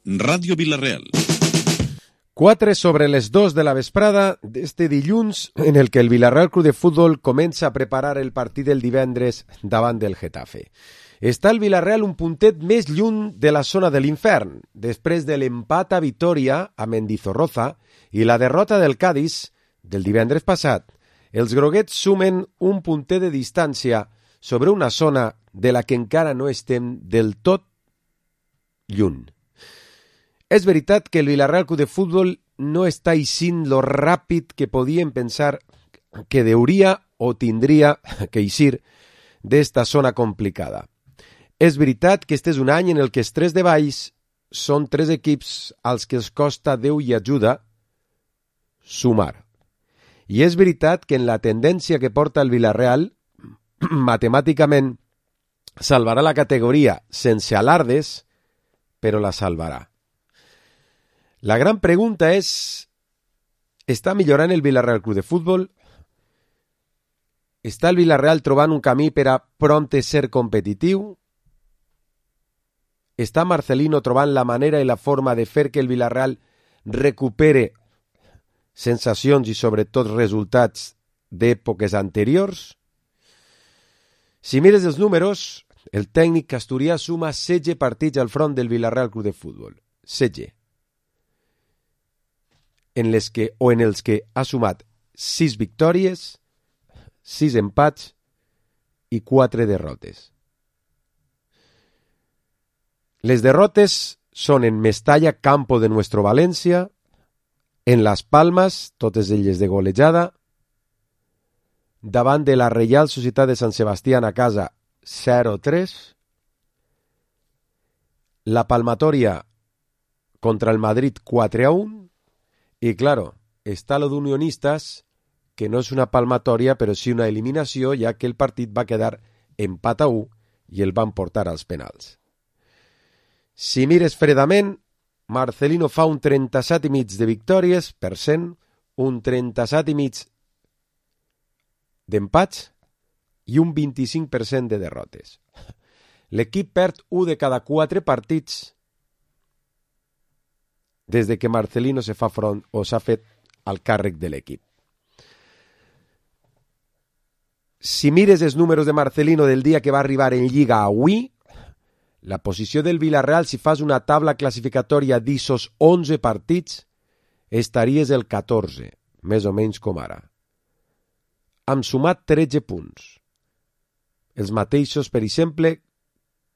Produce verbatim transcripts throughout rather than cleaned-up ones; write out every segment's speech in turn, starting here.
Ràdio Vila-real. Quatre sobre les dos de la vesprada d'este dilluns en el que el Vila-real Club de Futbol comença a preparar el partit del divendres davant del Getafe. Està el Vila-real un puntet més lluny de la zona de l'infern, després de l'empat a Vitoria a Mendizorroza i la derrota del Cádiz del divendres passat. Els groguets sumen un puntet de distància sobre una zona de la que encara no estem del tot lluny. És veritat que el Vila-real Club de Futbol no està eixint lo ràpid que podíem pensar que deuria o tindria que eixir d'esta zona complicada. És veritat que este és un any en el que els tres de baix són tres equips als que els costa Déu i ajuda sumar. I és veritat que en la tendència que porta el Vila-real, matemàticament salvarà la categoria sense alardes, però la salvarà. La gran pregunta és, està millorant el Vila-real Club de Futbol? Està el Vila-real trobant un camí per a prompte ser competitiu? Està Marcelino trobant la manera i la forma de fer que el Vila-real recupere sensacions i sobretot resultats d'èpoques anteriors? Si mires els números, el tècnic asturià suma setze partits al front del Vila-real Club de Futbol. setze. En les que, o en els que ha sumat sis victòries, sis empats i quatre derrotes. Les derrotes són en Mestalla, campo de Nuestro València, en Las Palmas, totes elles de golejada, davant de la Reial Societat de Sant Sebastián a casa zero tres, la palmatòria contra el Madrid quatre a un, i, claro, està lo d'Unionistas, que no és una palmatòria, però sí una eliminació, ja que el partit va quedar empat a u i el van portar als penals. Si mires fredament, Marcelino fa un trenta-set i mig de victòries per cent, un trenta-set i mig d'empats i un vint-i-cinc per cent de derrotes. L'equip perd un de cada quatre partits des de que Marcelino se fa front o s'ha fet al càrrec de l'equip. Si mires els números de Marcelino del dia que va arribar en Lliga avui, la posició del Vila-real, si fas una taula classificatòria d'issos onze partits, estaries el catorze, més o menys com ara. Hem sumat tretze punts. Els mateixos, per exemple,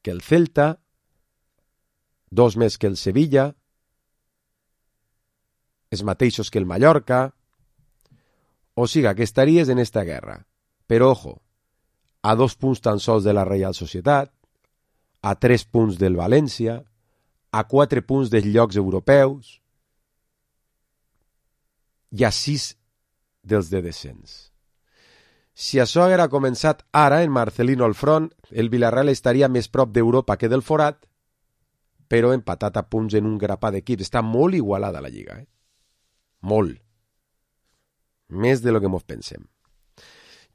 que el Celta, dos més que el Sevilla, els mateixos que el Mallorca, o siga que estaries en esta guerra. Però, ojo, a dos punts tan sols de la Reial Societat, a tres punts del València, a quatre punts dels llocs europeus i a sis dels de descens. Si això haguera començat ara en Marcelino al front, el Vila-real estaria més prop d'Europa que del forat, però empatat a punts en un grapat d'equips. Està molt igualada la Lliga, eh? Molt. Més de lo que mos pensem.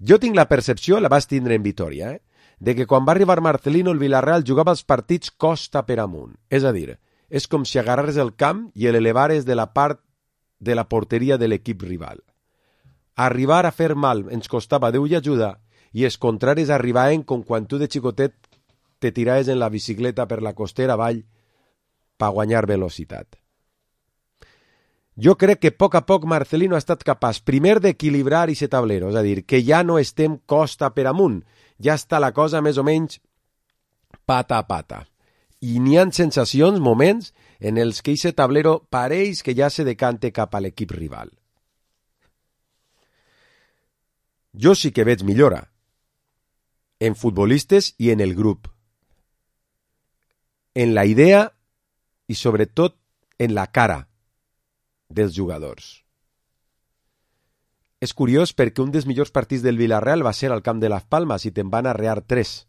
Jo tinc la percepció, la vas tindre en Vitoria, eh? de que quan va arribar Marcelino el Vila-real jugava els partits costa per amunt. És a dir, és com si agarrares el camp i l'elevares de la part de la porteria de l'equip rival. Arribar a fer mal ens costava Déu i ajuda i els contraris arribaven com quan tu de xicotet te tiraves en la bicicleta per la costera avall per guanyar velocitat. Jo crec que a poc a poc Marcelino ha estat capaç primer d'equilibrar aquest tablero, és a dir, que ja no estem costa per amunt, ja està la cosa més o menys pata a pata. I n'hi ha sensacions, moments, en els que aquest tablero pareix que ja se decante cap a l'equip rival. Jo sí que veig millora, en futbolistes i en el grup, en la idea i sobretot en la cara dels jugadors. És curiós perquè un dels millors partits del Vila-real va ser al camp de Las Palmas i te'n van arrear tres.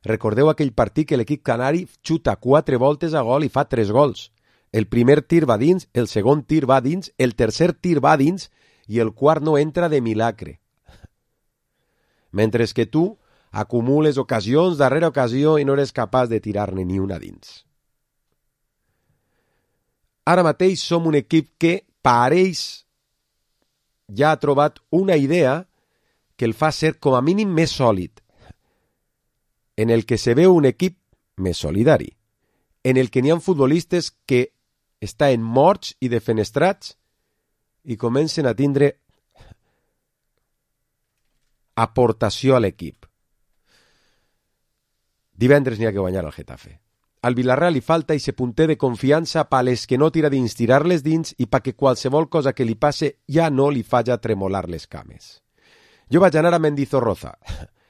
Recordeu aquell partit que l'equip canari xuta quatre voltes a gol i fa tres gols. El primer tir va dins, el segon tir va dins, el tercer tir va dins i el quart no entra de milagre. Mentre que tu acumules ocasions darrere ocasió i no eres capaç de tirar-ne ni una dins. Ara mateix som un equip que pareix ja ha trobat una idea que el fa ser com a mínim més sòlid, en el que se veu un equip més solidari, en el que n'hi ha futbolistes que estan morts i defenestrats i comencen a tindre aportació a l'equip. Divendres n'hi ha que guanyar al Getafe. Al Villarreal li falta ese punter de confiança pa les que no tira dins tirar-les dins i pa que qualsevol cosa que li passe ja no li falla tremolar les cames. Jo vaig anar a Mendizorroza.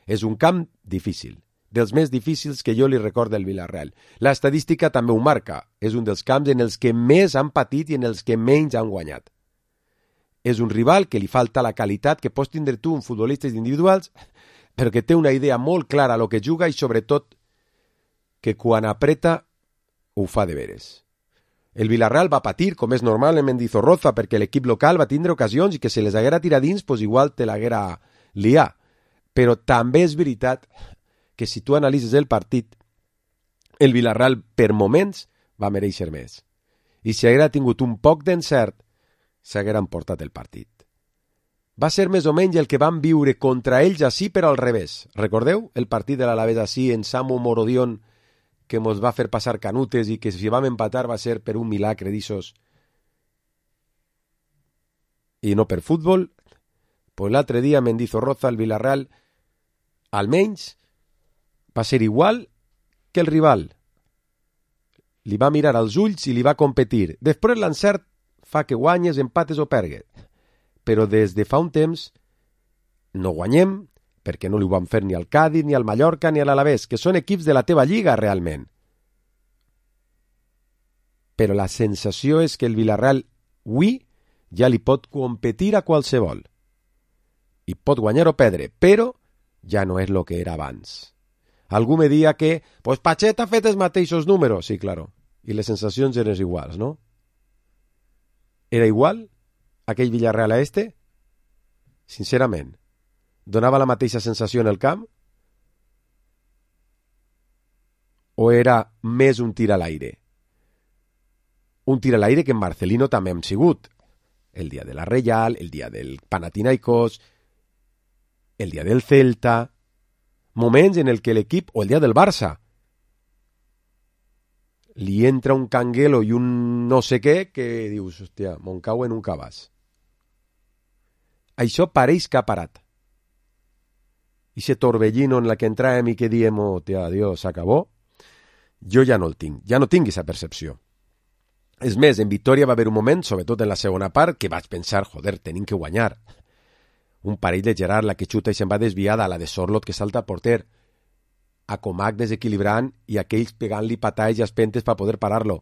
És un camp difícil, dels més difícils que jo li recordo del Villarreal. L'estadística també ho marca. És un dels camps en els que més han patit i en els que menys han guanyat. És un rival que li falta la qualitat que pots tindre tu en futbolistes individuals, però que té una idea molt clara a lo que juga i sobretot que quan apreta ho fa de veres. El Villarreal va patir, com és normal en Mendizorroza, perquè l'equip local va tindre ocasions i que se les haguera tirat dins, pues igual te l'haguera liat. Però també és veritat que si tu analitzes el partit, el Villarreal per moments va mereixer més. I si haguera tingut un poc d'encert, s'haguera emportat el partit. Va ser més o menys el que van viure contra ells així, però al revés. Recordeu el partit de l'Alavés així en Samu Morodion, que mos va fer passar canutes i que si vam empatar va ser per un milagre d'ixos i no per futbol? Pues l'altre dia a Mendizorroza el Villarreal almenys va ser igual que el rival. Li va mirar als ulls i li va competir. Després l'encert fa que guanyes, empates o pergues. Però des de fa un temps no guanyem perquè no li ho van fer ni al Cádiz, ni al Mallorca, ni a l'Alavés, que són equips de la teva lliga realment. Però la sensació és que el Villarreal avui ja li pot competir a qualsevol. I pot guanyar o perdre, però ja no és el que era abans. Algú me dia que, pues Pachet ha fet els mateixos números. Sí, claro. I les sensacions eren iguals, no? Era igual aquell Villarreal a este? Sincerament. Donava la mateixa sensació en el camp? O era més un tir a l'aire? Un tir a l'aire que en Marcelino també hem sigut. El dia de la Real, el dia del Panathinaikos, el dia del Celta, moments en el que l'equip, o el dia del Barça, li entra un canguelo i un no sé què que dius, hòstia, mon cau en un cabàs. Això pareix que ha parat. I ese torbellino en la que entràvem i que diem, oh, tia, adiós, s'acabó, jo ja no el tinc, ja no tinc aquesta percepció. És més, en Vitòria va haver un moment, sobretot en la segona part, que vaig pensar, joder, tenim que guanyar. Un parell de Gerard, la que xuta i se'n va desviada, la de Sorlot que salta al porter, a Comac desequilibrant i aquells pegant-li patalls i espentes per poder parar-lo.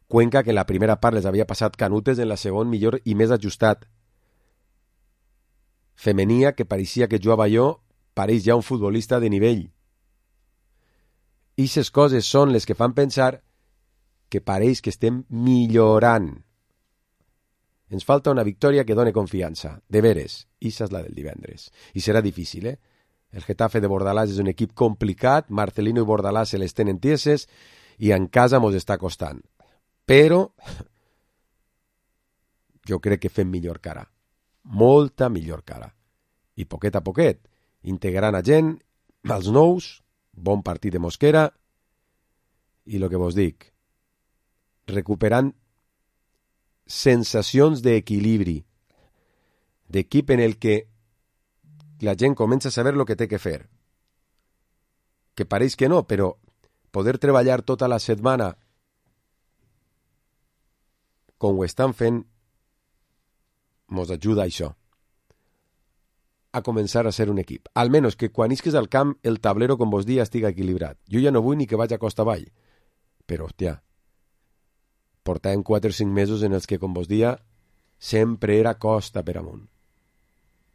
Cuenca, que en la primera part les havia passat canutes, en la segona millor i més ajustat. Femenia, que pareixia que jugava jo, pareix ja un futbolista de nivell. Ixes coses són les que fan pensar que pareix que estem millorant. Ens falta una victòria que done confiança, de veres. Ixa és la del divendres. I serà difícil, eh? El Getafe de Bordalàs és un equip complicat, Marcelino i Bordalàs se les tenen tieses i en casa mos està costant. Però jo crec que fem millor cara. Molta millor cara. I poquet a poquet, integrant a gent, als nous, bon partit de Mosquera, i el que vos dic, recuperant sensacions d'equilibri, d'equip en el que la gent comença a saber el que té que fer. Que pareix que no, però poder treballar tota la setmana com ho estan fent mos ajuda a això, a començar a ser un equip. Almenys que quan isques al camp el tablero, com vos dia, estiga equilibrat. Jo ja no vull ni que vaig a costa avall, però, hòstia, portàvem quatre o cinc mesos en els que, com vos dia, sempre era costa per amunt.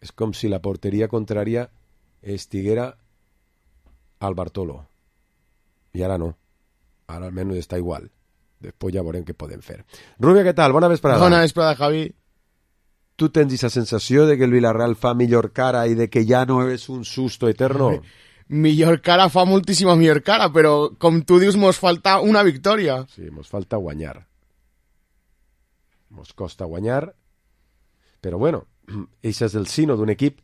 És com si la porteria contrària estiguera al Bartolo. I ara no. Ara almenys està igual. Després ja veurem què podem fer. Rubio, què tal? Bona vesprada. Bona vesprada, Javi. Tu tens esa sensació de que el Villarreal fa millor cara i de que ja no és un susto eterno? Millor cara fa moltíssima millor cara, però com tu dius, mos falta una victòria. Sí, mos falta guanyar. mos costa guanyar, però bueno, això és el sino d'un equip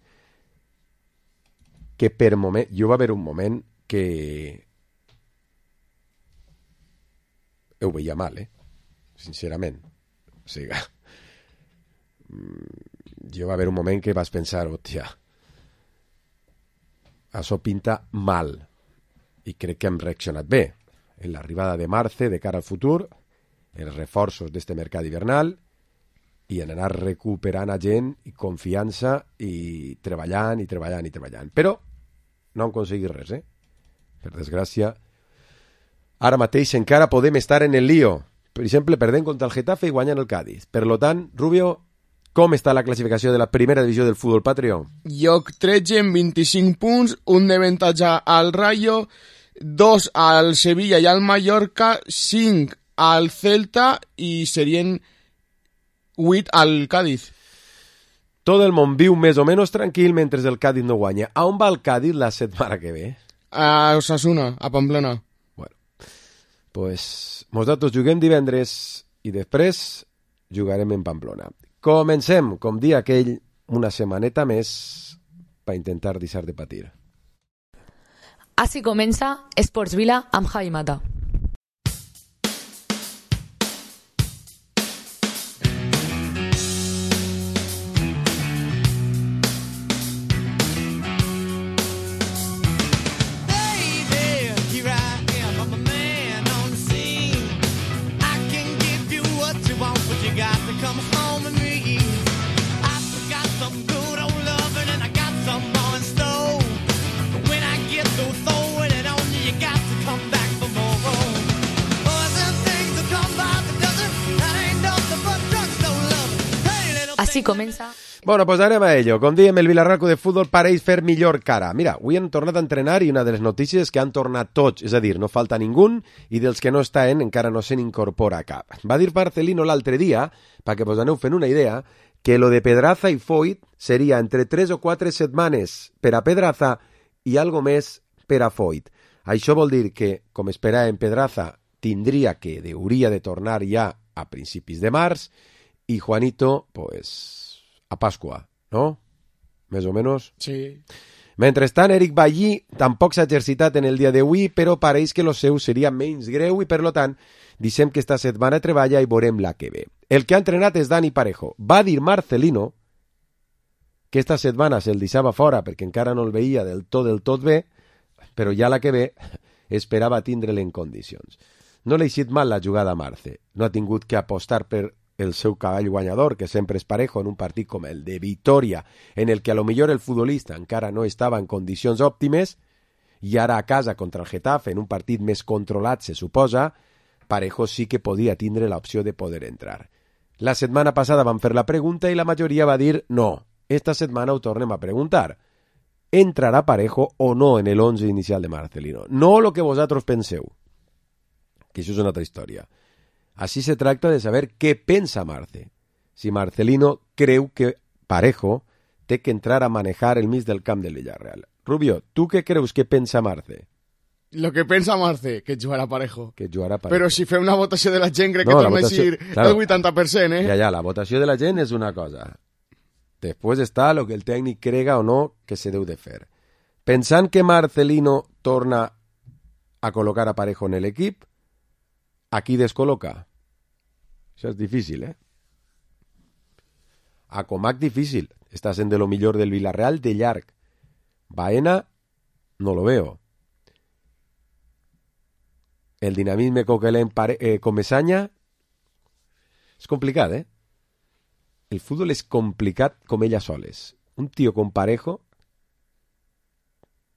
que per moment, jo va haver un moment que ho veia mal, eh? Sincerament. O sigui, jo va haver un moment que vas pensar, hòstia, això pinta mal, i crec que hem reaccionat bé en l'arribada de Marce de cara al futur, els reforços d'este mercat hivernal i en anar recuperant a gent i confiança i treballant i treballant i treballant. Però no hem aconseguit res, eh? Per desgràcia. Ara mateix encara podem estar en el lío. Per exemple, perdent contra el Getafe i guanyant el Cádiz. Per lo tant, Rubio, com està la classificació de la primera divisió del futbol patrio? Lloc tretze amb vint-i-cinc punts, un d'avantatge al Rayo, dos al Sevilla i al Mallorca, cinc al Celta i serien vuit al Cádiz. Tot el món viu més o menys tranquil mentre el Cádiz no guanya. A on va el Cádiz la setmana que ve? A Osasuna, a Pamplona. Bueno, pues nosaltres juguem divendres i després jugarem en Pamplona. Comencem, com dia aquell, una setmaneta més per intentar deixar de patir. Així comença Esports Vila amb Javi Mata. Així comença... Bueno, pues anem a ello. Com diem, el Villarreal de Futbol pareix fer millor cara. Mira, avui han tornat a entrenar i una de les notícies que han tornat tots, és a dir, no falta ningú i dels que no estan encara no se n'incorpora cap. Va dir Marcelino l'altre dia, perquè vos aneu fent una idea, que lo de Pedraza i Foyt seria entre tres o quatre setmanes per a Pedraza i algo més per a Foyt. Això vol dir que, com esperàvem, Pedraza tindria que, hauria de tornar ja a principis de març i Juanito, pues, a Pasqua, no? Més o menys. Sí. Mentrestant, Eric Bailly tampoc s'ha exercitat en el dia d'avui, però pareix que lo seu seria menys greu i, per lo tant, dissem que esta setmana treballa i veurem la que ve. El que ha entrenat és Dani Parejo. Va dir Marcelino que esta setmana se'l deixava fora perquè encara no el veia del tot del tot bé, però ja la que ve esperava tindre'l en condicions. No l'ha eixit mal la jugada a Marce. No ha tingut que apostar per el seu cavall guanyador, que sempre és Parejo en un partit com el de Vitoria, en el que a lo millor el futbolista encara no estava en condicions òptimes, i ara a casa contra el Getafe, en un partit més controlat, se suposa, Parejo sí que podia tindre l'opció de poder entrar. La setmana passada van fer la pregunta i la majoria va dir no. Esta setmana ho tornem a preguntar. ¿Entrarà Parejo o no en el once inicial de Marcelino? No lo que vosaltres penseu, que això és una altra història. Así se tracta de saber què pensa Marce. Si Marcelino creu que Parejo té que entrar a manejar el mig del camp del Villarreal. Rubio, tu què creus que pensa Marce? Lo que pensa Marce, que jugarà Parejo. Que jugarà Parejo. Però si fem una votació de la gent, crec no, que torna a ser claro, el vuitanta per cent, eh? Ja, ja, la votació de la gent és una cosa. Després està lo que el tècnic crega o no que se deu de fer. Pensant que Marcelino torna a col·locar a Parejo en l'equip, a qui descol·loca? Això és difícil, eh? A Comac difícil. Està sent de lo millor del Villarreal de llarg. Baena, no lo veo. El dinamisme Coquelin eh, Comesaña és complicat, eh? El futbol és complicat com ella soles. Un tio com Parejo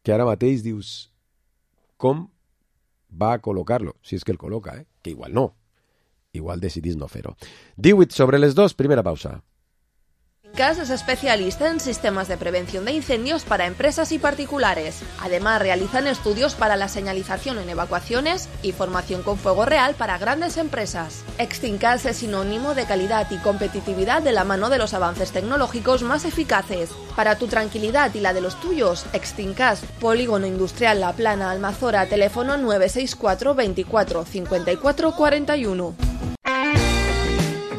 que ara mateix dius com va a col·locar-lo, si és que el col·loca, eh? Que igual no. Igual decidís no fer-ho. divuit sobre les dos, primera pausa. Cas es especialista en sistemas de prevención de incendios para empresas y particulares. Además, realizan estudios para la señalización en evacuaciones y formación con fuego real para grandes empresas. Extincas es sinónimo de calidad y competitividad de la mano de los avances tecnológicos más eficaces. Para tu tranquilidad y la de los tuyos, Extincas, Polígono Industrial La Plana, Almazora, teléfono nueve seis cuatro veinticuatro cincuenta y cuatro cuarenta y uno.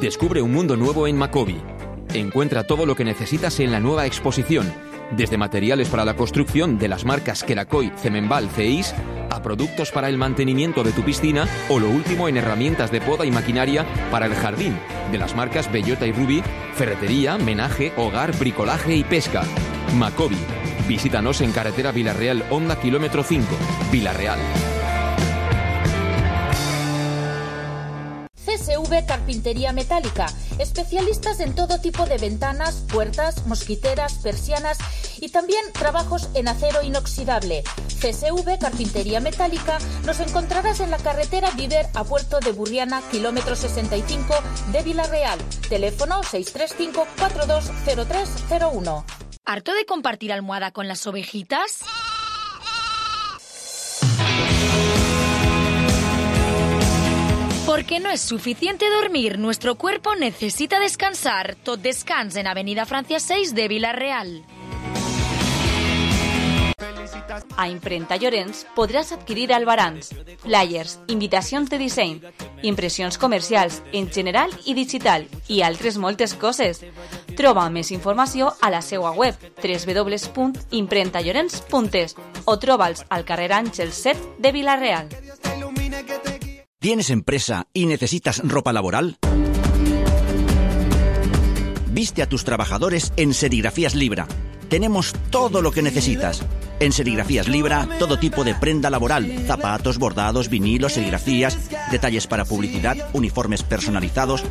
Descubre un mundo nuevo en Macovy. Encuentra todo lo que necesitas en la nueva exposición, desde materiales para la construcción de las marcas Quelacoy, Cemenbal, Ceis, a productos para el mantenimiento de tu piscina o lo último en herramientas de poda y maquinaria para el jardín, de las marcas Bellota y Ruby, ferretería, menaje, hogar, bricolaje y pesca. Macovy. Visítanos en carretera Villarreal Honda kilómetro cinco, Villarreal. C S V Carpintería Metálica, especialistas en todo tipo de ventanas, puertas, mosquiteras, persianas y también trabajos en acero inoxidable. C S V Carpintería Metálica nos encontrarás en la carretera Viver a Puerto de Burriana, kilómetro sesenta y cinco de Villarreal. Teléfono seis tres cinco cuatro dos cero tres cero uno. ¿Harto de compartir almohada con las ovejitas? Porque no es suficiente dormir, nuestro cuerpo necesita descansar. Tot Descans en Avenida Francia seis de Villarreal. A Imprenta Llorenç podràs adquirir albarans, flyers, invitacions de disseny, impressions comercials en general i digital i altres moltes coses. Troba més informació a la seva web w w w punt imprenta llorenç punt es o troba'ls al carrer Àngel set de Villarreal. ¿Tienes empresa y necesitas ropa laboral? Viste a tus trabajadores en Serigrafías Libra. Tenemos todo lo que necesitas. En Serigrafías Libra, todo tipo de prenda laboral, zapatos, bordados, vinilos, serigrafías, detalles para publicidad, uniformes personalizados.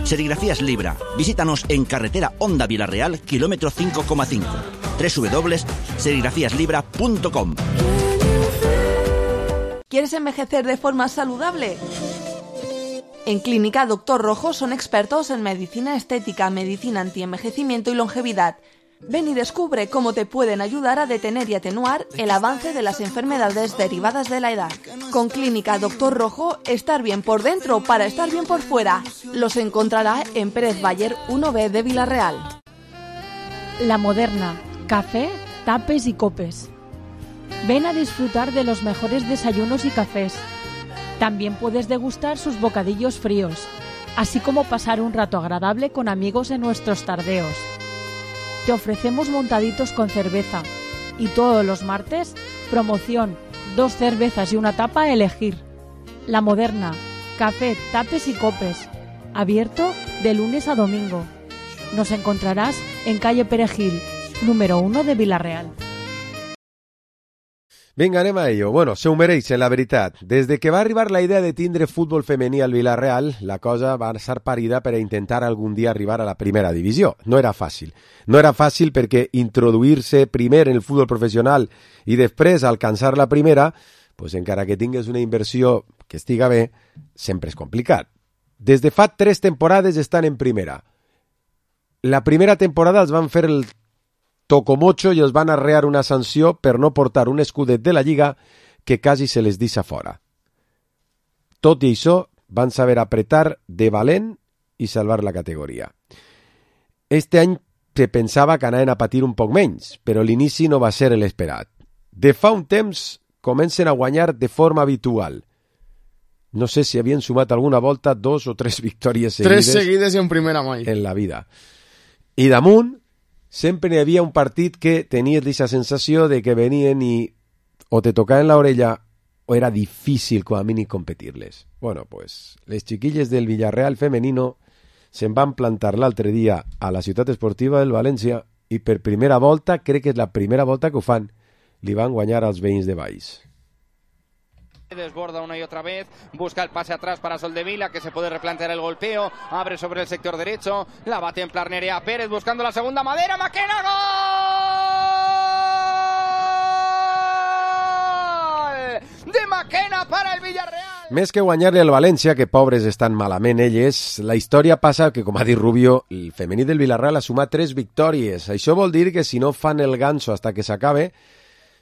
Serigrafías Libra. Visítanos en carretera Honda Villarreal, kilómetro cinco coma cinco. w w w punto serigrafías libra punto com. ¿Quieres envejecer de forma saludable? En Clínica Doctor Rojo son expertos en medicina estética, medicina antienvejecimiento y longevidad. Ven y descubre cómo te pueden ayudar a detener y atenuar el avance de las enfermedades derivadas de la edad. Con Clínica Doctor Rojo, estar bien por dentro para estar bien por fuera. Los encontrará en Pérez Bayer uno B de Villarreal. La Moderna. Café, tapes y copes. Ven a disfrutar de los mejores desayunos y cafés. También puedes degustar sus bocadillos fríos, así como pasar un rato agradable con amigos en nuestros tardeos. Te ofrecemos montaditos con cerveza y todos los martes, promoción, dos cervezas y una tapa a elegir. La Moderna, café, tapes y copes, abierto de lunes a domingo. Nos encontrarás en calle Perejil, número uno de Villarreal. Vinga, anem a ello. Bueno, se ho mereix, la veritat. Des de que va arribar la idea de tindre futbol femení al Villarreal, la cosa va ser parida per a intentar algun dia arribar a la primera divisió. No era fàcil. No era fàcil perquè introduir-se primer en el futbol professional i després alcançar la primera, pues encara que tingues una inversió que estiga bé, sempre és complicat. Des de fa tres temporades estan en primera. La primera temporada els van fer el tocomocho i els van arrear una sanció per no portar un escudet de la Lliga que quasi se les deixa fora. Tot i això, van saber apretar de valent i salvar la categoria. Este any se pensava que anaven a patir un poc menys, però l'inici no va ser l'esperat. De fa un temps comencen a guanyar de forma habitual. No sé si havien sumat alguna volta dos o tres victòries seguides, tres seguides en primera mai en la vida. I damunt, sempre hi havia un partit que tenies aquesta sensació de que venien i o te tocaven l'orella o era difícil com a mínim competir-les. Bueno, pues les chiquilles del Villarreal femenino se'n van plantar l'altre dia a la ciutat esportiva del València i per primera volta, crec que és la primera volta que ho fan, li van guanyar als veïns de Valls. Desborda una y otra vez, busca el pase atrás para Soldevila, que se puede replantear el golpeo, abre sobre el sector derecho, la va a templar Nerea Pérez buscando la segunda madera, Maquena, ¡gol! De Maquena para el Villarreal. Més que guanyar-li al València, que pobres estan malament elles, la història passa que, com ha dit Rubio, el femení del Villarreal ha sumat tres victòries. Això vol dir que si no fan el ganso hasta que s'acabe,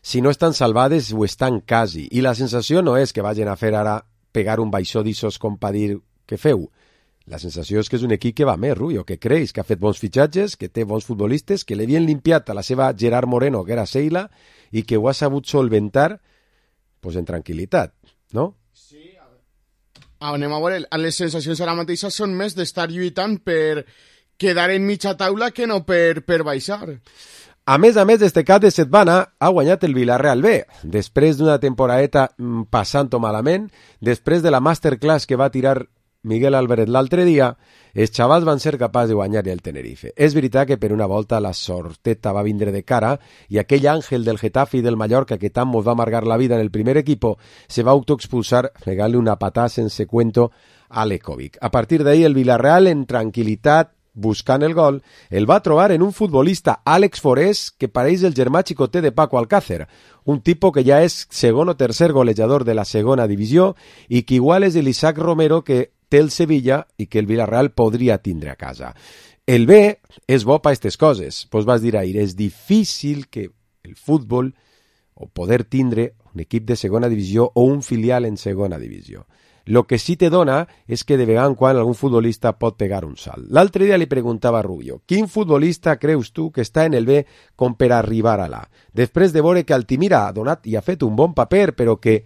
si no estan salvades o estan quasi. I la sensació no és que vagin a fer ara pegar un baixó d'issos com per dir què feu. La sensació és que és un equip que va més, Rubio, que creix, que ha fet bons fitxatges, que té bons futbolistes, que li havien limpiat a la seva Gerard Moreno, que era Seila, i que ho ha sabut solventar pues, en tranquil·litat, no? Sí, a ver. anem a veure, les sensacions ara mateixa són més d'estar lluitant per quedar en mitja taula que no per, per baixar. A més a més, este cap de setmana ha guanyat el Villarreal B, després d'una temporadeta passant-ho malament, després de la masterclass que va tirar Miguel Álvarez l'altre dia, els xavals van ser capaços de guanyar el Tenerife. És veritat que per una volta la sorteta va vindre de cara i aquell àngel del Getafe i del Mallorca que tant mos va amargar la vida en el primer equipo se va autoexpulsar pegant-li una patada sense cuento a Lekovic. A partir d'ahí el Villarreal en tranquil·litat buscant el gol, el va trobar en un futbolista, Àlex Forés, que pareix el germà xicoter de Paco Alcácer, un tipus que ja és segon o tercer golejador de la segona divisió i que igual és l'Isaac Romero que té el Sevilla i que el Villarreal podria tindre a casa. El B és bo per aquestes coses. Pues vas dir ahir, és difícil que el futbol o poder tindre un equip de segona divisió o un filial en segona divisió. Lo que sí te dona és que de vegada en quan algun futbolista pot pegar un salt. L'altre dia li preguntava a Rubio, quin futbolista creus tu que està en el B com per arribar a l'A? Després de veure que Altimira ha donat i ha fet un bon paper, però que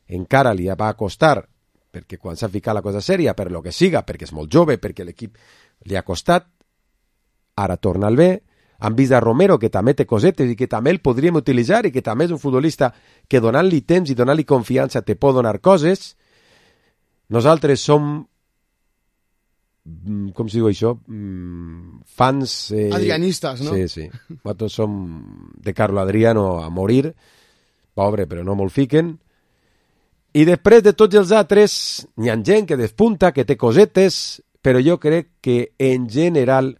encara li va costar, perquè quan s'ha ficat la cosa sèria, per lo que siga, perquè és molt jove, perquè l'equip li ha costat, ara torna al B, han vist a Romero, que també té cosetes i que també el podríem utilitzar i que també és un futbolista que donant-li temps i donant-li confiança te pot donar coses. Nosaltres som, com si diu això, fans... Eh, adrianistes, no? Sí, sí. Nosaltres som de Carlo Adriano a morir, pobre, però no molt fiquen. I després de tots els altres, n'hi ha gent que despunta, que té cosetes, però jo crec que en general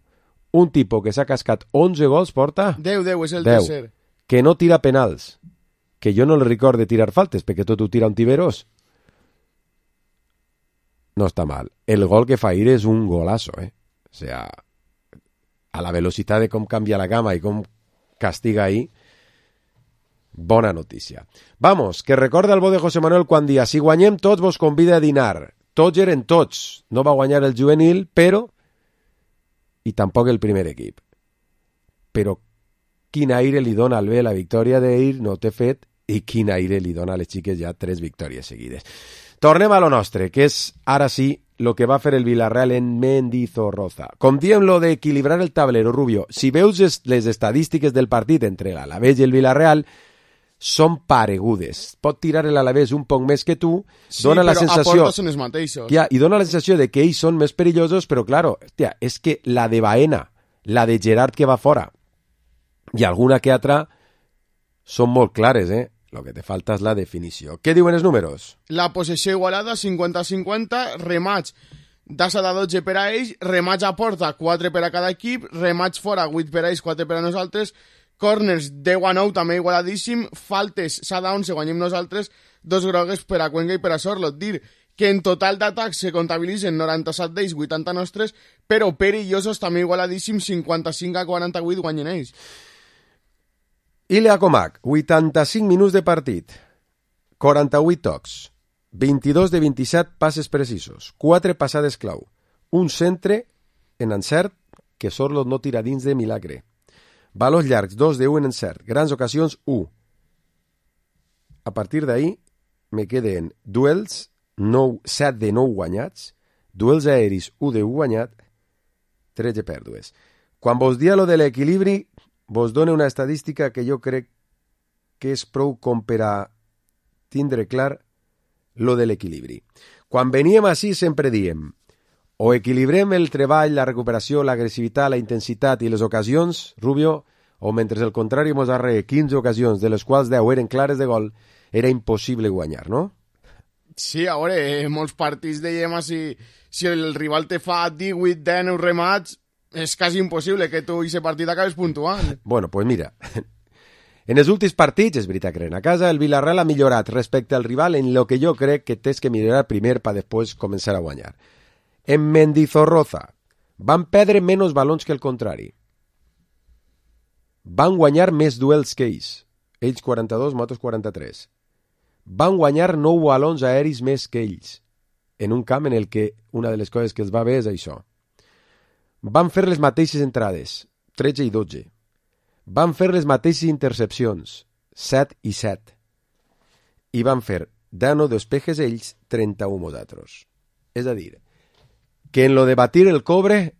un tipus que s'ha cascat onze gols porta... deu, deu, és el deu, tercer. Que no tira penals, que jo no li record de tirar faltes, perquè tot ho tira un tiberós. No està mal. El gol que fa ahir és un golazo, eh? O sea, a la velocitat de com canvia la cama i com castiga ahí, bona notícia. Vamos, que recorda el bo de José Manuel quan dia, si guanyem tots vos convida a dinar. Tots eren tots. No va guanyar el juvenil, però... i tampoc el primer equip. Però quin aire li dona al B la victòria d'ahir, no t'he fet, i quin aire li dona a les xiques ja tres victòries seguides. Tornem a lo nostre, que és, ara sí, lo que va fer el Villarreal en Mendizorroza. Com diem lo d'equilibrar el tablero, Rubio, si veus les estadístiques del partit entre l'Alavés i el Villarreal, són paregudes. Pot tirar l'Alavés un poc més que tu, sí, dona la però sensació... aportes són els mateixos. Ja, i dona la sensació de que ells són més perillosos, però, claro, hòstia, és que la de Baena, la de Gerard que va fora, i alguna que altra, són molt clares, eh? Lo que te falta és la definició. Què diuen els números? La possessió igualada, cinquanta cinquanta, remats d'assa de dotze per a ells, remats a porta, quatre per a cada equip, remats fora, vuit per a ells, quatre per a nosaltres, corners deu a nou, també igualadíssim, faltes s'ha d'onze, guanyem nosaltres, dos grogues per a Cuenca i per a Sorlot. Dir que en total d'atacs se comptabilitzen noranta-set d'ells, vuitanta nostres, però perillosos també igualadíssim, cinquanta-cinc a quaranta-vuit guanyen ells. Ilya Comac, vuitanta-cinc minuts de partit, quaranta-vuit tocs, vint-i-dos de vint-i-set passes precisos, quatre passades clau, un centre en encert que Sorlot no tira dins de milagre. Valors llargs, dos de u en encert, grans ocasions, u. A partir d'ahí me queden duels, set de nou guanyats, duels aeris, u de u guanyat, tretze pèrdues. Quan vos dia lo de l'equilibri, vos dona una estadística que jo crec que és prou com per a tindre clar lo de l'equilibri. Quan veníem així sempre diem o equilibrem el treball, la recuperació, l'agressivitat, la intensitat i les ocasions, Rubio, o mentre el contrari mos arre quinze ocasions, de les quals deu eren clares de gol, era impossible guanyar, no? Sí, a veure, en molts partits dèiem si, si el rival te fa divuit dinou remats, és quasi impossible que tu i aquest partit acabes puntuant. Bueno, pues mira, en els últims partits, és veritat que eren a casa, el Villarreal ha millorat respecte al rival en lo que jo crec que tens que millorar primer per després començar a guanyar. En Mendizorroza van perdre menys balons que el contrari. Van guanyar més duels que ells. Ells quaranta-dos, nosaltres quaranta-tres. Van guanyar nou balons aeris més que ells. En un camp en el que una de les coses que els va bé és això. Van fer les mateixes entrades, tretze i dotze. Van fer les mateixes intercepcions, set i set. I van fer deu despejes ells, trenta-u nosaltres. És a dir, que en lo de batir el cobre,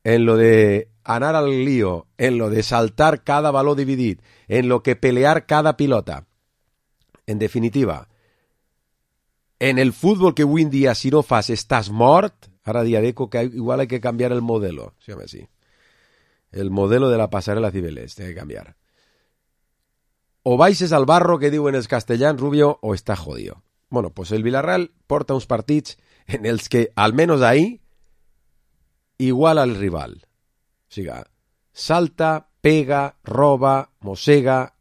en lo de anar al lío, en lo de saltar cada baló dividit, en lo que pelear cada pilota, en definitiva, en el fútbol que avui en dia si no fas estàs mort, ara dia d'eco que igual hay que cambiar el modelo, se llama así, el modelo de la pasarela Cibeles, tiene que cambiar. O baixes al barro que diuen els castellans, Rubio, o està jodido. Bueno, pues el Villarreal porta uns partits en els que, almenys ahí, igual al rival. O sigui, salta, pega, roba, mossega,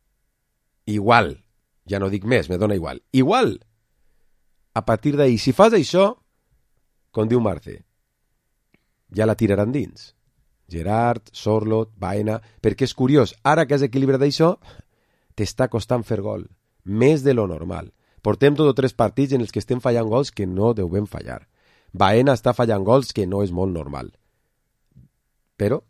igual. Ja no dic més, me dona igual. Igual. A partir d'ahí, si fas això, com diu Marce, ja la tiraran dins. Gerard, Sorloth, Baena... Perquè és curiós, ara que has equilibrat això, t'està costant fer gol. Més de lo normal. Portem tot o tres partits en els que estem fallant gols que no devem fallar. Baena està fallant gols que no és molt normal. Però,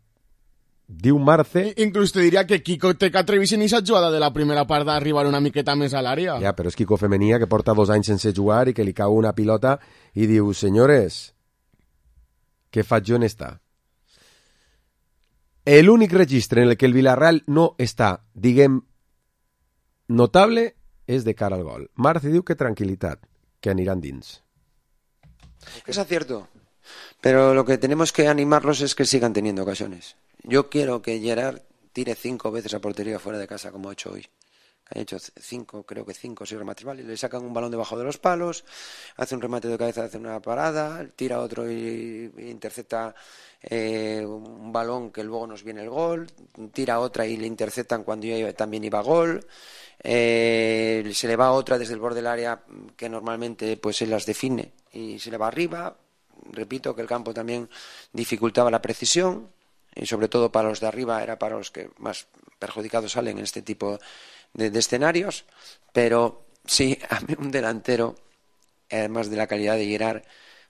diu Marce... Inclús te diria que Kiko té que atrevir-se en aquesta jugada de la primera part d'arribar una miqueta més a l'àrea. Ja, però és Kiko Femenia, que porta dos anys sense jugar i que li cau una pilota i diu, senyores, què faig jo en esta? L'únic registre en el que el Villarreal no està, diguem, notable és de cara al gol. Marce diu que tranquilitat, que aniran dins. Es acierto, pero lo que tenemos que animarlos es que sigan teniendo ocasiones. Yo quiero que Gerard tire cinco veces a portería fuera de casa como ha hecho hoy. Ha hecho cinco, creo que cinco o seis remates, ¿vale? Le sacan un balón debajo de los palos, hace un remate de cabeza, hace una parada, tira otro y, y intercepta eh, un balón que luego nos viene el gol, tira otra y le interceptan cuando yo también iba a gol, eh, se le va otra desde el borde del área que normalmente pues él las define y se le va arriba. Repito que el campo también dificultaba la precisión y sobre todo para los de arriba era para los que más perjudicados salen en este tipo de, de escenarios, pero sí, a mí un delantero, además de la calidad de Gerard,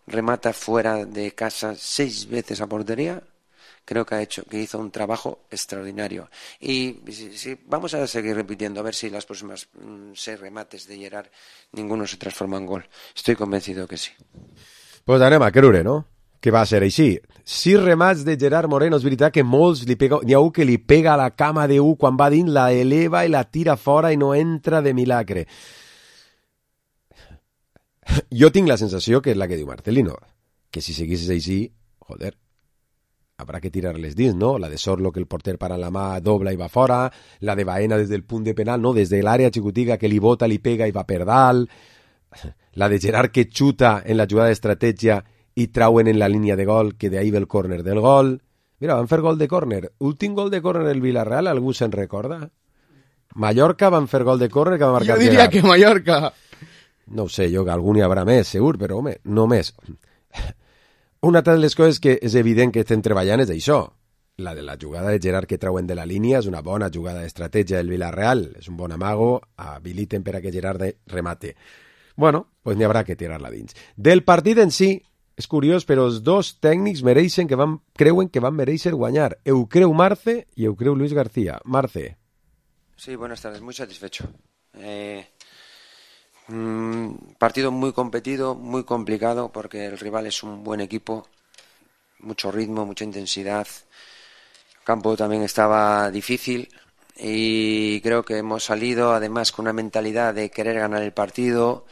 remata fuera de casa seis veces a portería. Creo que ha hecho, que hizo un trabajo extraordinario. Y si, si, vamos a seguir repitiendo, a ver si las próximas mmm, seis remates de Gerard ninguno se transforma en gol. Estoy convencido que sí. Pues anem a creure, no? Que va ser així. Sis remats de Gerard Moreno, és veritat que molts li pega... N'hi ha un que li pega a la cama de U quan va dins, la eleva i la tira fora i no entra de milagre. Jo tinc la sensació que és la que diu Marcelino, que si seguissis així, joder, habrá que tirar-les dins, no? La de Sorlo, que el porter para la mà, dobla i va fora, la de Baena des del punt de penal, no? Des de l'àrea xicotiga que li bota, li pega i va per dalt, la de Gerard que xuta en la jugada d'estratègia i trauen en la línia de gol, que d'ahí ve el córner del gol. Mira, van fer gol de córner. Últim gol de córner el Villarreal, algú se'n recorda? Mallorca van fer gol de córner que va marcar Jo diria Gerard. que Mallorca. No ho sé, jo que algun hi haurà més, segur, però home, no més. Una altra de les coses que és evident que estem treballant és això. La de la jugada de Gerard que trauen de la línia és una bona jugada d'estratègia del Villarreal, és un bon amago, habiliten per a que Gerard remate. Bueno, pues n'hi haurà que tirar-la dins. Del partit en si, és curiós, però els dos tècnics mereixen que van, creuen que van mereixer guanyar. Eu creu Marce i eu creu Luis García. Marce. Sí, buenas tardes, muy satisfecho. Eh, mmm, partido muy competido, muy complicado, porque el rival es un buen equipo, mucho ritmo, mucha intensidad. El campo también estaba difícil y creo que hemos salido además con una mentalidad de querer ganar el partido,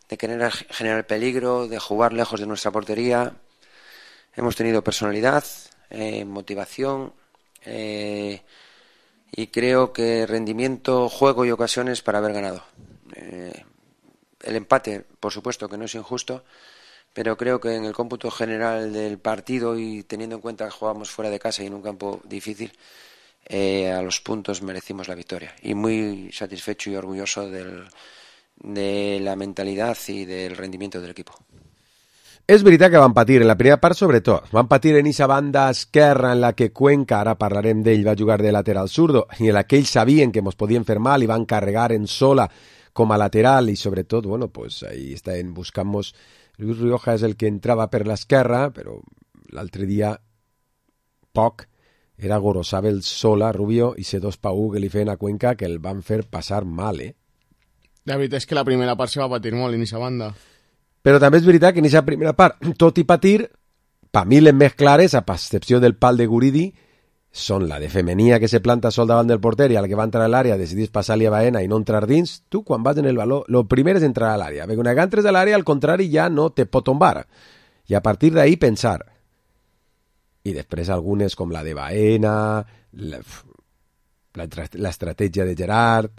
de querer generar peligro, de jugar lejos de nuestra portería. Hemos tenido personalidad, eh, motivación eh, y creo que rendimiento, juego y ocasiones para haber ganado. Eh, el empate, por supuesto que no es injusto, pero creo que en el cómputo general del partido y teniendo en cuenta que jugamos fuera de casa y en un campo difícil, eh, a los puntos merecimos la victoria. Y muy satisfecho y orgulloso del... de la mentalidad i del rendimiento del equipo. És veritat que van patir en la primera part, sobretot. Van patir en aquesta banda esquerra en la que Cuenca, ara parlarem d'ell, va jugar de lateral zurdo, i en la que ells sabien que ens podien fer mal i van carregar en sola com a lateral i sobretot, bueno, pues ahí estaven buscant-nos. Luis Rioja és el que entrava per l'esquerra, però l'altre dia poc era Gorosabel sola, Rubio, i ser dos Pau que li feien a Cuenca que el van fer passar mal, eh? La veritat és que la primera part se va patir molt en aquesta banda. Però també és veritat que en aquesta primera part, tot i patir, per mi les més clares, a excepció del pal de Guridi, són la de Femenia que se planta sol davant del porter i al que va entrar a l'àrea decidís passar-li a Baena i no entrar dins. Tu, quan vas en el baló, lo primer és entrar a l'àrea, perquè quan entres a l'àrea, al contrari, ja no te pot tombar. I a partir d'ahí pensar. I després algunes com la de Baena, l'estratègia de Gerard.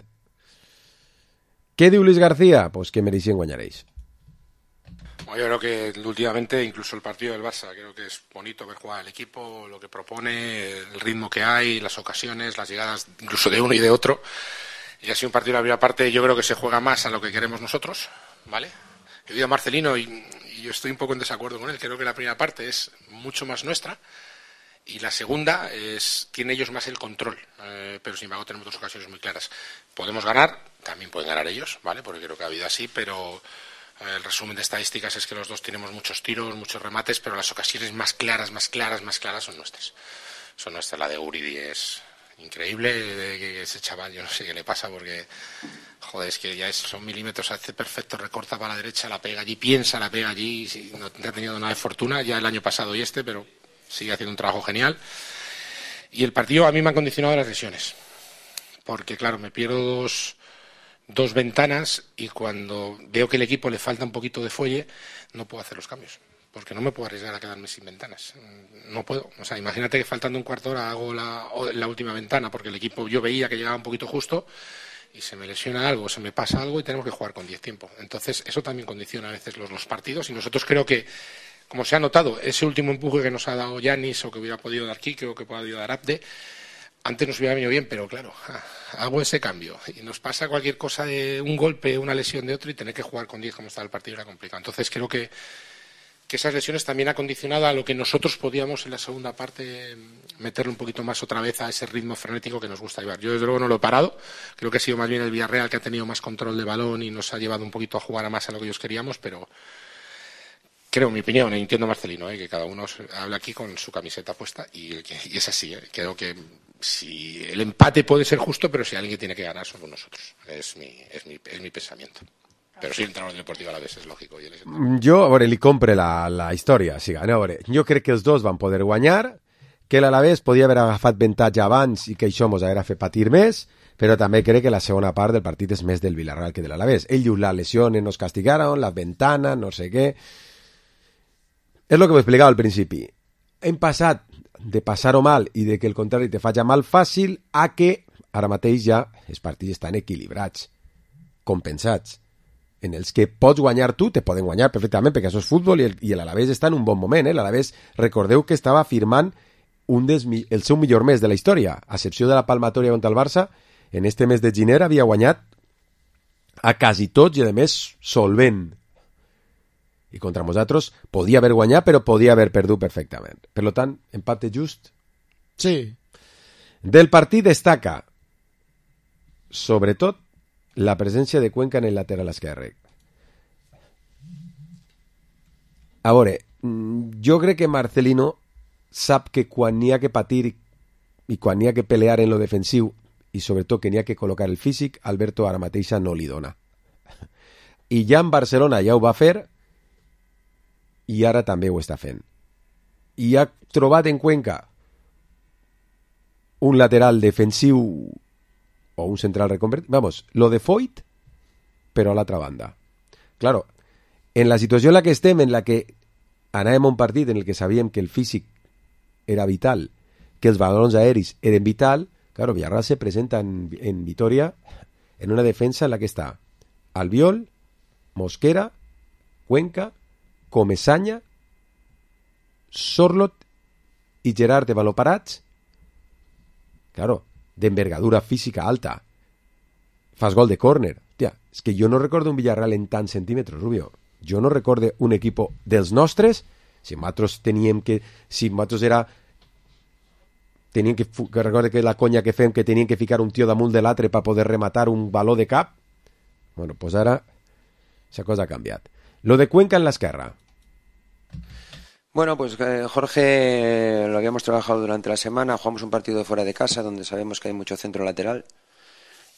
Què diu Luis García? Pues que mereixen guanyar ells. Yo creo que últimamente incluso el partido del Barça creo que es bonito ver jugar el equipo, lo que propone, el ritmo que hay, las ocasiones, las llegadas incluso de uno y de otro. Y ha sido un partido de la primera parte, yo creo que se juega más a lo que queremos nosotros, ¿vale? He oído a Marcelino y, y yo estoy un poco en desacuerdo con él. Creo que la primera parte es mucho más nuestra y la segunda es tiene ellos más el control, eh, pero sin embargo tenemos dos ocasiones muy claras. Podemos ganar, también pueden ganar ellos, ¿vale? Porque creo que ha habido así, pero el resumen de estadísticas es que los dos tenemos muchos tiros, muchos remates, pero las ocasiones más claras, más claras, más claras son nuestras. Son nuestras. La de Guridi es increíble, de que ese chaval, yo no sé qué le pasa, porque, joder, es que ya es, son milímetros, hace perfecto, recorta para la derecha, la pega allí, piensa, la pega allí, sí, no ha tenido nada de fortuna, ya el año pasado y este, pero sigue haciendo un trabajo genial. Y el partido a mí me han condicionado las lesiones, porque claro, me pierdo dos... dos ventanas y cuando veo que el equipo le falta un poquito de fuelle no puedo hacer los cambios porque no me puedo arriesgar a quedarme sin ventanas, no puedo, o sea, imagínate que faltando un cuarto de hora hago la, la última ventana porque el equipo yo veía que llegaba un poquito justo y se me lesiona algo, se me pasa algo y tenemos que jugar con diez tiempo, entonces eso también condiciona a veces los, los partidos y nosotros creo que como se ha notado, ese último empuje que nos ha dado Yanis o que hubiera podido dar Kike o que pueda dar Abde, antes nos hubiera venido bien, pero claro, hago ese cambio y nos pasa cualquier cosa de un golpe, una lesión de otro y tener que jugar con diez como está el partido era complicado. Entonces creo que, que esas lesiones también han condicionado a lo que nosotros podíamos en la segunda parte meterle un poquito más otra vez a ese ritmo frenético que nos gusta llevar. Yo desde luego no lo he parado, creo que ha sido más bien el Villarreal que ha tenido más control de balón y nos ha llevado un poquito a jugar a más a lo que ellos queríamos, pero creo, en mi opinión, entiendo a Marcelino, ¿eh? Que cada uno habla aquí con su camiseta puesta y, y es así, ¿eh? Creo que si el empate puede ser justo, pero si alguien tiene que ganar somos nosotros. Es mi, es mi, es mi pensamiento. Però sí, entrar al Deportiu Alavés és lògic. Jo, a veure, li compre la, la història. Sí, a veure, jo crec que els dos van poder guanyar, que l'Alavés podia haver agafat avantatge abans i que això mos haguera fet patir més, però també crec que la segona part del partit és més del Villarreal que de l'Alavés. Ells la lesiones nos castigaron, las ventanas, no sé què. És el que m'explicava al principi. Hem passat de passar-ho mal i de que el contrari te faci mal fàcil a que ara mateix ja els partits estan equilibrats, compensats, en els que pots guanyar tu, te poden guanyar perfectament perquè això és futbol i el, i l'Alavés està en un bon moment. Eh? L'Alavés, recordeu que estava firmant un des, el seu millor mes de la història, a excepció de la palmatòria contra el Barça, en este mes de gener havia guanyat a quasi tots i a més solvent. I contra nosaltres podia haver guanyat, però podia haver perdut perfectament. Per tant, empate just. Sí. Del partit destaca, sobretot, la presència de Cuenca en el lateral esquerre. A veure, jo crec que Marcelino sap que quan n'hi ha que patir i quan n'hi ha que pelear en lo defensiu i sobretot que n'hi ha que col·locar el físic, Alberto ara mateixa no li dona. I ja en Barcelona ja ho va fer i ara també ho està fent. I ha trobat en Cuenca un lateral defensiu o un central reconvertit. Vamos, lo de Foyt, però a l'altra banda. Claro, en la situació en la que estem, en la que anàvem a un partit en el que sabíem que el físic era vital, que els balons aeris eren vital, claro, Villarreal se presenta en, en Vitoria en una defensa en la que està Albiol, Mosquera, Cuenca, Comesaña, Sorlot i Gerard de baló parats. Claro, d'envergadura física alta. Fas gol de córner. Hòstia, és que jo no recordo un Villarreal en tants centímetres, Rubio. Jo no recordo un equip dels nostres, si nosaltres teníem que... Si nosaltres era... Teníem que... que recordo que la conya que fem que tenien que ficar un tio damunt de l'altre per poder rematar un baló de cap. Bueno, pues ara... Esa cosa ha canviat. Lo de Cuenca en l'esquerra. Bueno, pues eh, Jorge lo habíamos trabajado durante la semana, jugamos un partido fuera de casa donde sabemos que hay mucho centro lateral.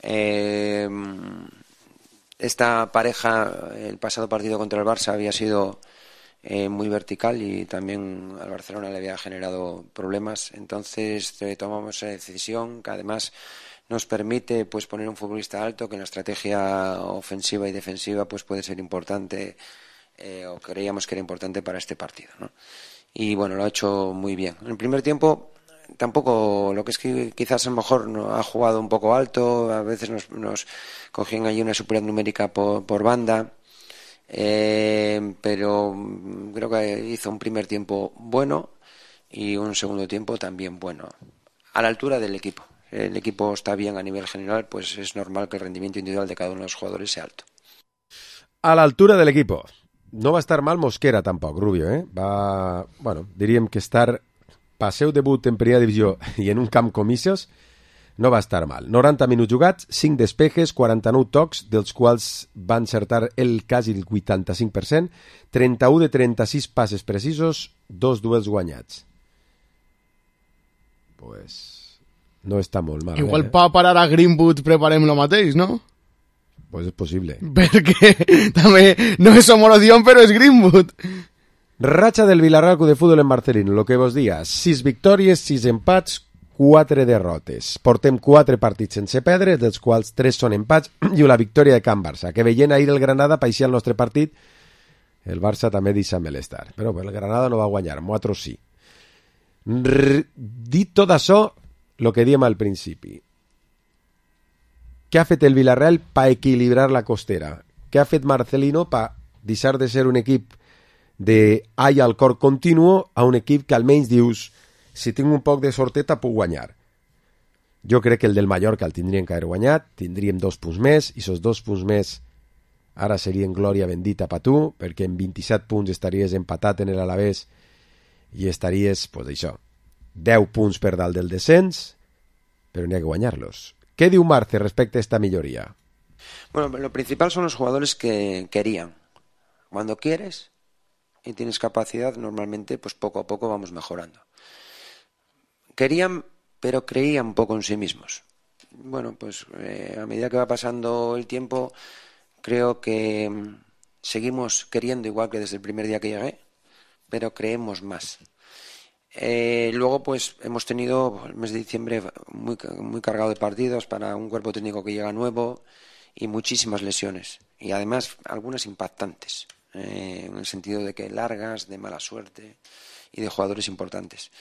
Eh, esta pareja, el pasado partido contra el Barça había sido eh, muy vertical y también al Barcelona le había generado problemas. Entonces eh, tomamos esa decisión que además nos permite pues poner un futbolista alto que en la estrategia ofensiva y defensiva pues puede ser importante, eh, o creíamos que era importante para este partido, ¿no? Y bueno, lo ha hecho muy bien. En el primer tiempo tampoco, lo que es que quizás a lo mejor no, ha jugado un poco alto, a veces nos, nos cogían ahí una superioridad numérica por, por banda, eh, pero creo que hizo un primer tiempo bueno y un segundo tiempo también bueno, a la altura del equipo. El equipo está bien a nivel general, pues es normal que el rendimiento individual de cada uno de los jugadores sea alto. A la altura del equipo. No va a estar mal Mosquera tampoc, Rubio, eh? Va, bueno, diríem que estar pel seu debut en primera divisió i en un camp com Ixos no va estar mal. noranta minuts jugats, cinc despejes, quaranta-nou tocs, dels quals va encertar el quasi el vuitanta-cinc per cent, trenta-u de trenta-sis passes precisos, dos duels guanyats. Pues no està molt mal. Igual eh? per parar a Greenwood preparem lo mateix, no? Pues és possible. Perquè també no és homologació, però és Greenwood. Racha del Villarreal Club de Fútbol en Marcelino, lo que vos dia, sis victòries, sis empats, quatre derrotes. Portem quatre partits sense perdre, dels quals tres són empats i una victòria de Can Barça, que veient ahir el Granada paixia el nostre partit, el Barça també deixa malestar. Però el Granada no va guanyar, nosaltres sí. R dit tot això, el que diem al principi. Què ha fet el Villarreal per equilibrar la costera? Què ha fet Marcelino per deixar de ser un equip de all al cor continuo a un equip que almenys dius, si tinc un poc de sorteta puc guanyar? Jo crec que el del Mallorca el tindríem que haver guanyat, tindríem dos punts més, i esos dos punts més ara serien glòria bendita per tu, perquè en vint-i-set punts estaries empatat en l'Alavés i estaries, pues això, deu punts per dalt del descens, però n'hi ha que guanyar-los. ¿Qué diu Marce respecto a esta mejoría? Bueno, lo principal son los jugadores que querían. Cuando quieres y tienes capacidad, normalmente pues poco a poco vamos mejorando. Querían, pero creían un poco en sí mismos. Bueno, pues eh, a medida que va pasando el tiempo, creo que mm, seguimos queriendo igual que desde el primer día que llegué, pero creemos más. Eh, luego pues hemos tenido el mes de diciembre muy, muy cargado de partidos para un cuerpo técnico que llega nuevo y muchísimas lesiones y además algunas impactantes, eh, en el sentido de que largas, de mala suerte y de jugadores importantes.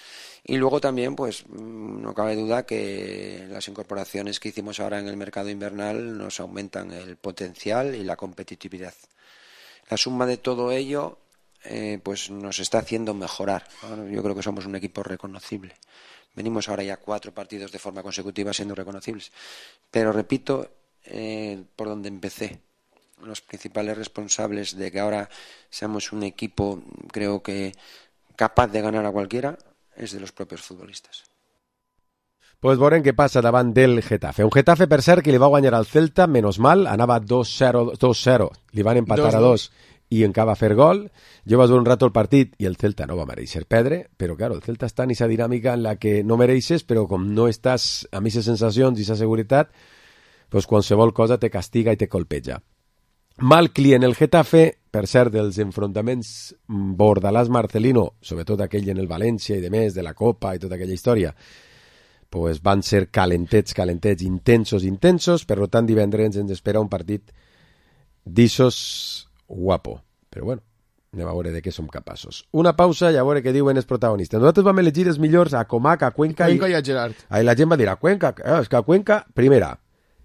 Y luego también pues no cabe duda que las incorporaciones que hicimos ahora en el mercado invernal nos aumentan el potencial y la competitividad. La suma de todo ello Eh, pues nos está haciendo mejorar. Bueno, yo creo que somos un equipo reconocible. Venimos ahora ya cuatro partidos de forma consecutiva siendo reconocibles. Pero repito, eh, por donde empecé, los principales responsables de que ahora seamos un equipo, creo que capaz de ganar a cualquiera, es de los propios futbolistas. Pues veurem què passa davant del Getafe. Un Getafe, per cert, que li va guanyar al Celta, menos mal, anava dos zero, li van empatar dos, a dos i encara va fer gol. Jo vaig veure un rato el partit i el Celta no va mereixer perdre, però claro, el Celta està en aquesta dinàmica en la que no mereixes, però com no estàs amb aquestes sensacions i aquesta seguretat, pues qualsevol cosa te castiga i te colpeja. Mal client el Getafe, per cert, dels enfrontaments Bordalàs-Marcelino, sobretot aquell en el València i de més, de la Copa i tota aquella història, pues van ser calentets, calentets, intensos, intensos, per tant divendres ens espera un partit d'ixos guapo, però bueno, anem a veure de què som capaços. Una pausa i a veure què diuen els protagonistes. Nosaltres vam elegir els millors a Comac, a Cuenca, Cuenca i, i a Gerard. Ahí la gent va dir a Cuenca, eh, és que a Cuenca, primera,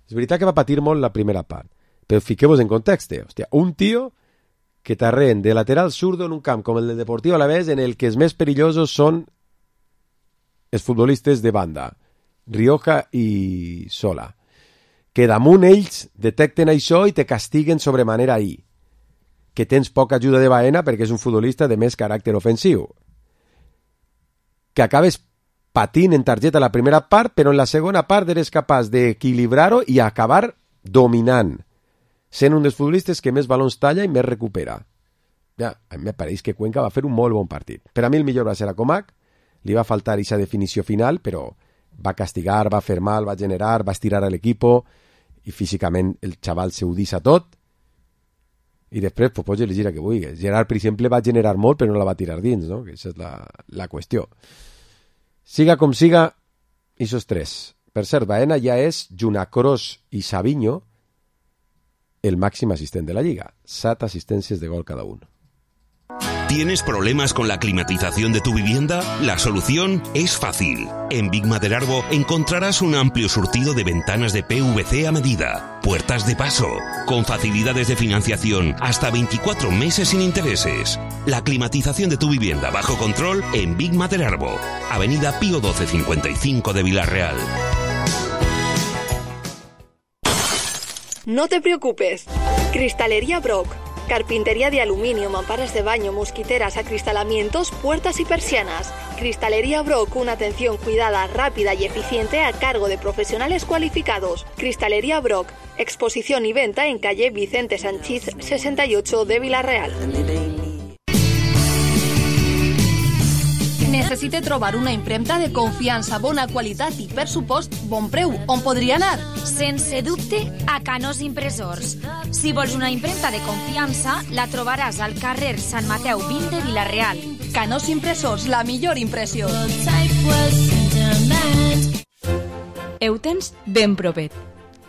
és veritat que va patir molt la primera part, però fiqueu-vos en context, hòstia, un tio que t'arreen de lateral zurdo en un camp com el del Deportivo Alavés, en el que els més perillosos són els futbolistes de banda, Rioja i Sola, que damunt ells detecten això i te castiguen sobremanera ahir, que tens poca ajuda de Baena perquè és un futbolista de més caràcter ofensiu, que acabes patint en targeta la primera part, però en la segona part eres capaç d'equilibrar-ho i acabar dominant, sent un dels futbolistes que més balons talla i més recupera. Ja, a mi me pareix que Cuenca va fer un molt bon partit. Per a mi el millor va ser a Comac, li va faltar aquesta definició final, però va castigar, va fer mal, va generar, va estirar a l'equip i físicament el xaval se ho deixa tot i després pues, pots elegir a que vulguis. Gerard, per exemple, va generar molt però no la va tirar dins, no? Que aquesta és la, la qüestió. Siga com siga, esos tres. Per cert, Baena ja és, junt a Kroos i Savinho, el màxim assistent de la Lliga. Set assistències de gol cada un. ¿Tienes problemas con la climatización de tu vivienda? La solución es fácil. En Big Maderarbo encontrarás un amplio surtido de ventanas de P V C a medida, puertas de paso, con facilidades de financiación hasta veinticuatro meses sin intereses. La climatización de tu vivienda bajo control en Big Maderarbo, Avenida Pío doce cincuenta y cinco de Villarreal. No te preocupes. Cristalería Brock. Carpintería de aluminio, mamparas de baño, mosquiteras, acristalamientos, puertas y persianas. Cristalería Brock, una atención cuidada, rápida y eficiente a cargo de profesionales cualificados. Cristalería Brock, exposición y venta en calle Vicente Sanchís sesenta y ocho de Villarreal. Necessite trobar una impremta de confiança, bona qualitat i, per supost, bon preu. On podria anar? Sense dubte, a Canós Impressors. Si vols una impremta de confiança, la trobaràs al carrer Sant Mateu vint de Villarreal. Canós Impressors, la millor impressió. Ho tens ben propet.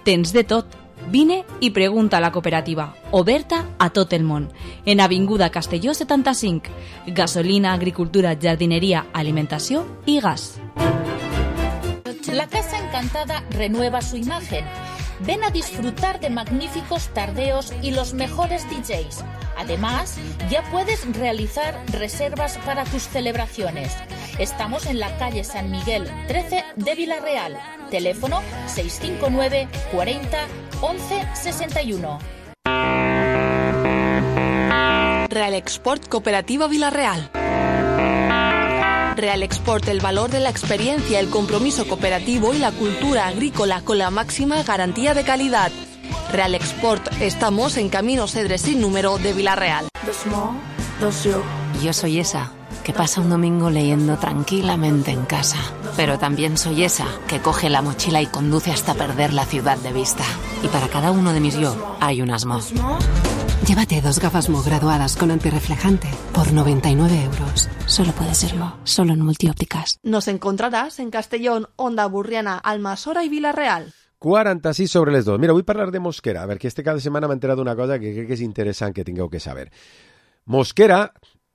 Tens de tot. Vine i pregunta a la cooperativa, oberta a tot el món, en Avinguda Castelló setanta-cinc. Gasolina, agricultura, jardineria, alimentació i gas. La Casa Encantada renueva su imagen. Ven a disfrutar de magníficos tardeos y los mejores D Js. Además, ya puedes realizar reservas para tus celebraciones. Estamos en la calle San Miguel trece de Villarreal. Teléfono seis cinco nueve cuarenta once sesenta y uno. Real Export Cooperativa Villarreal. Real Export, el valor de la experiencia, el compromiso cooperativo y la cultura agrícola con la máxima garantía de calidad. Real Export, estamos en Camino Cedres sin número de Villarreal. Yo soy esa que pasa un domingo leyendo tranquilamente en casa. Pero también soy esa que coge la mochila y conduce hasta perder la ciudad de vista. Y para cada uno de mis yo hay un Asmo. Llévate dos gafas Mo graduadas con antirreflejante por noventa y nueve euros. Solo puede serlo, solo en Multiópticas. Nos encontrarás en Castellón, Onda Burriana, Almassora y Villarreal. quaranta-sis sobre les dos. Mira, vull parlar de Mosquera, perquè este cada setmana m'he enterat d'una cosa que crec que és interessant que tingueu que saber. Mosquera,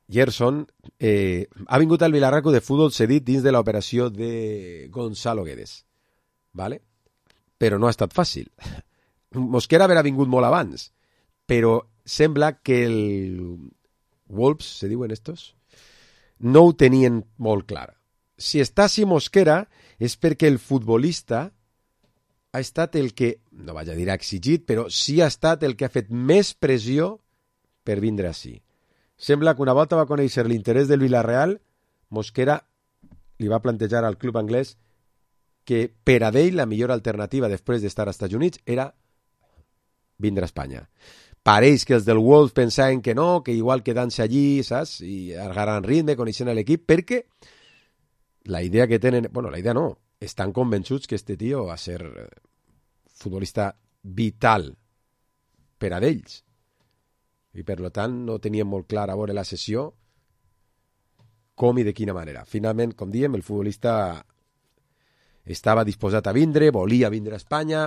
Gerson, eh, ha vingut al Vilarraco de futbol cedit dins de l'operació de Gonzalo Guedes, ¿vale? Però no ha estat fàcil. Mosquera haurà vingut molt abans, però sembla que el Wolves, se diuen estos, no ho tenien molt clar. Si està així Mosquera és perquè el futbolista ha estat el que, no vaig a dir ha exigit, però sí ha estat el que ha fet més pressió per vindre així. Sembla que una volta va conèixer l'interès del Villarreal, Mosquera li va plantejar al club anglès que per a ell la millor alternativa després d'estar als Estats Units era vindre a Espanya. Pareix que els del Wolves pensaven que no, que igual quedant-se allí, saps? I agarrant ritme, coneixent l'equip, perquè la idea que tenen... Bueno, la idea no. Estan convençuts que este tio va ser futbolista vital per a d'ells. I per tant no tenien molt clar a veure la sessió com i de quina manera. Finalment, com diem, el futbolista estava disposat a vindre, volia vindre a Espanya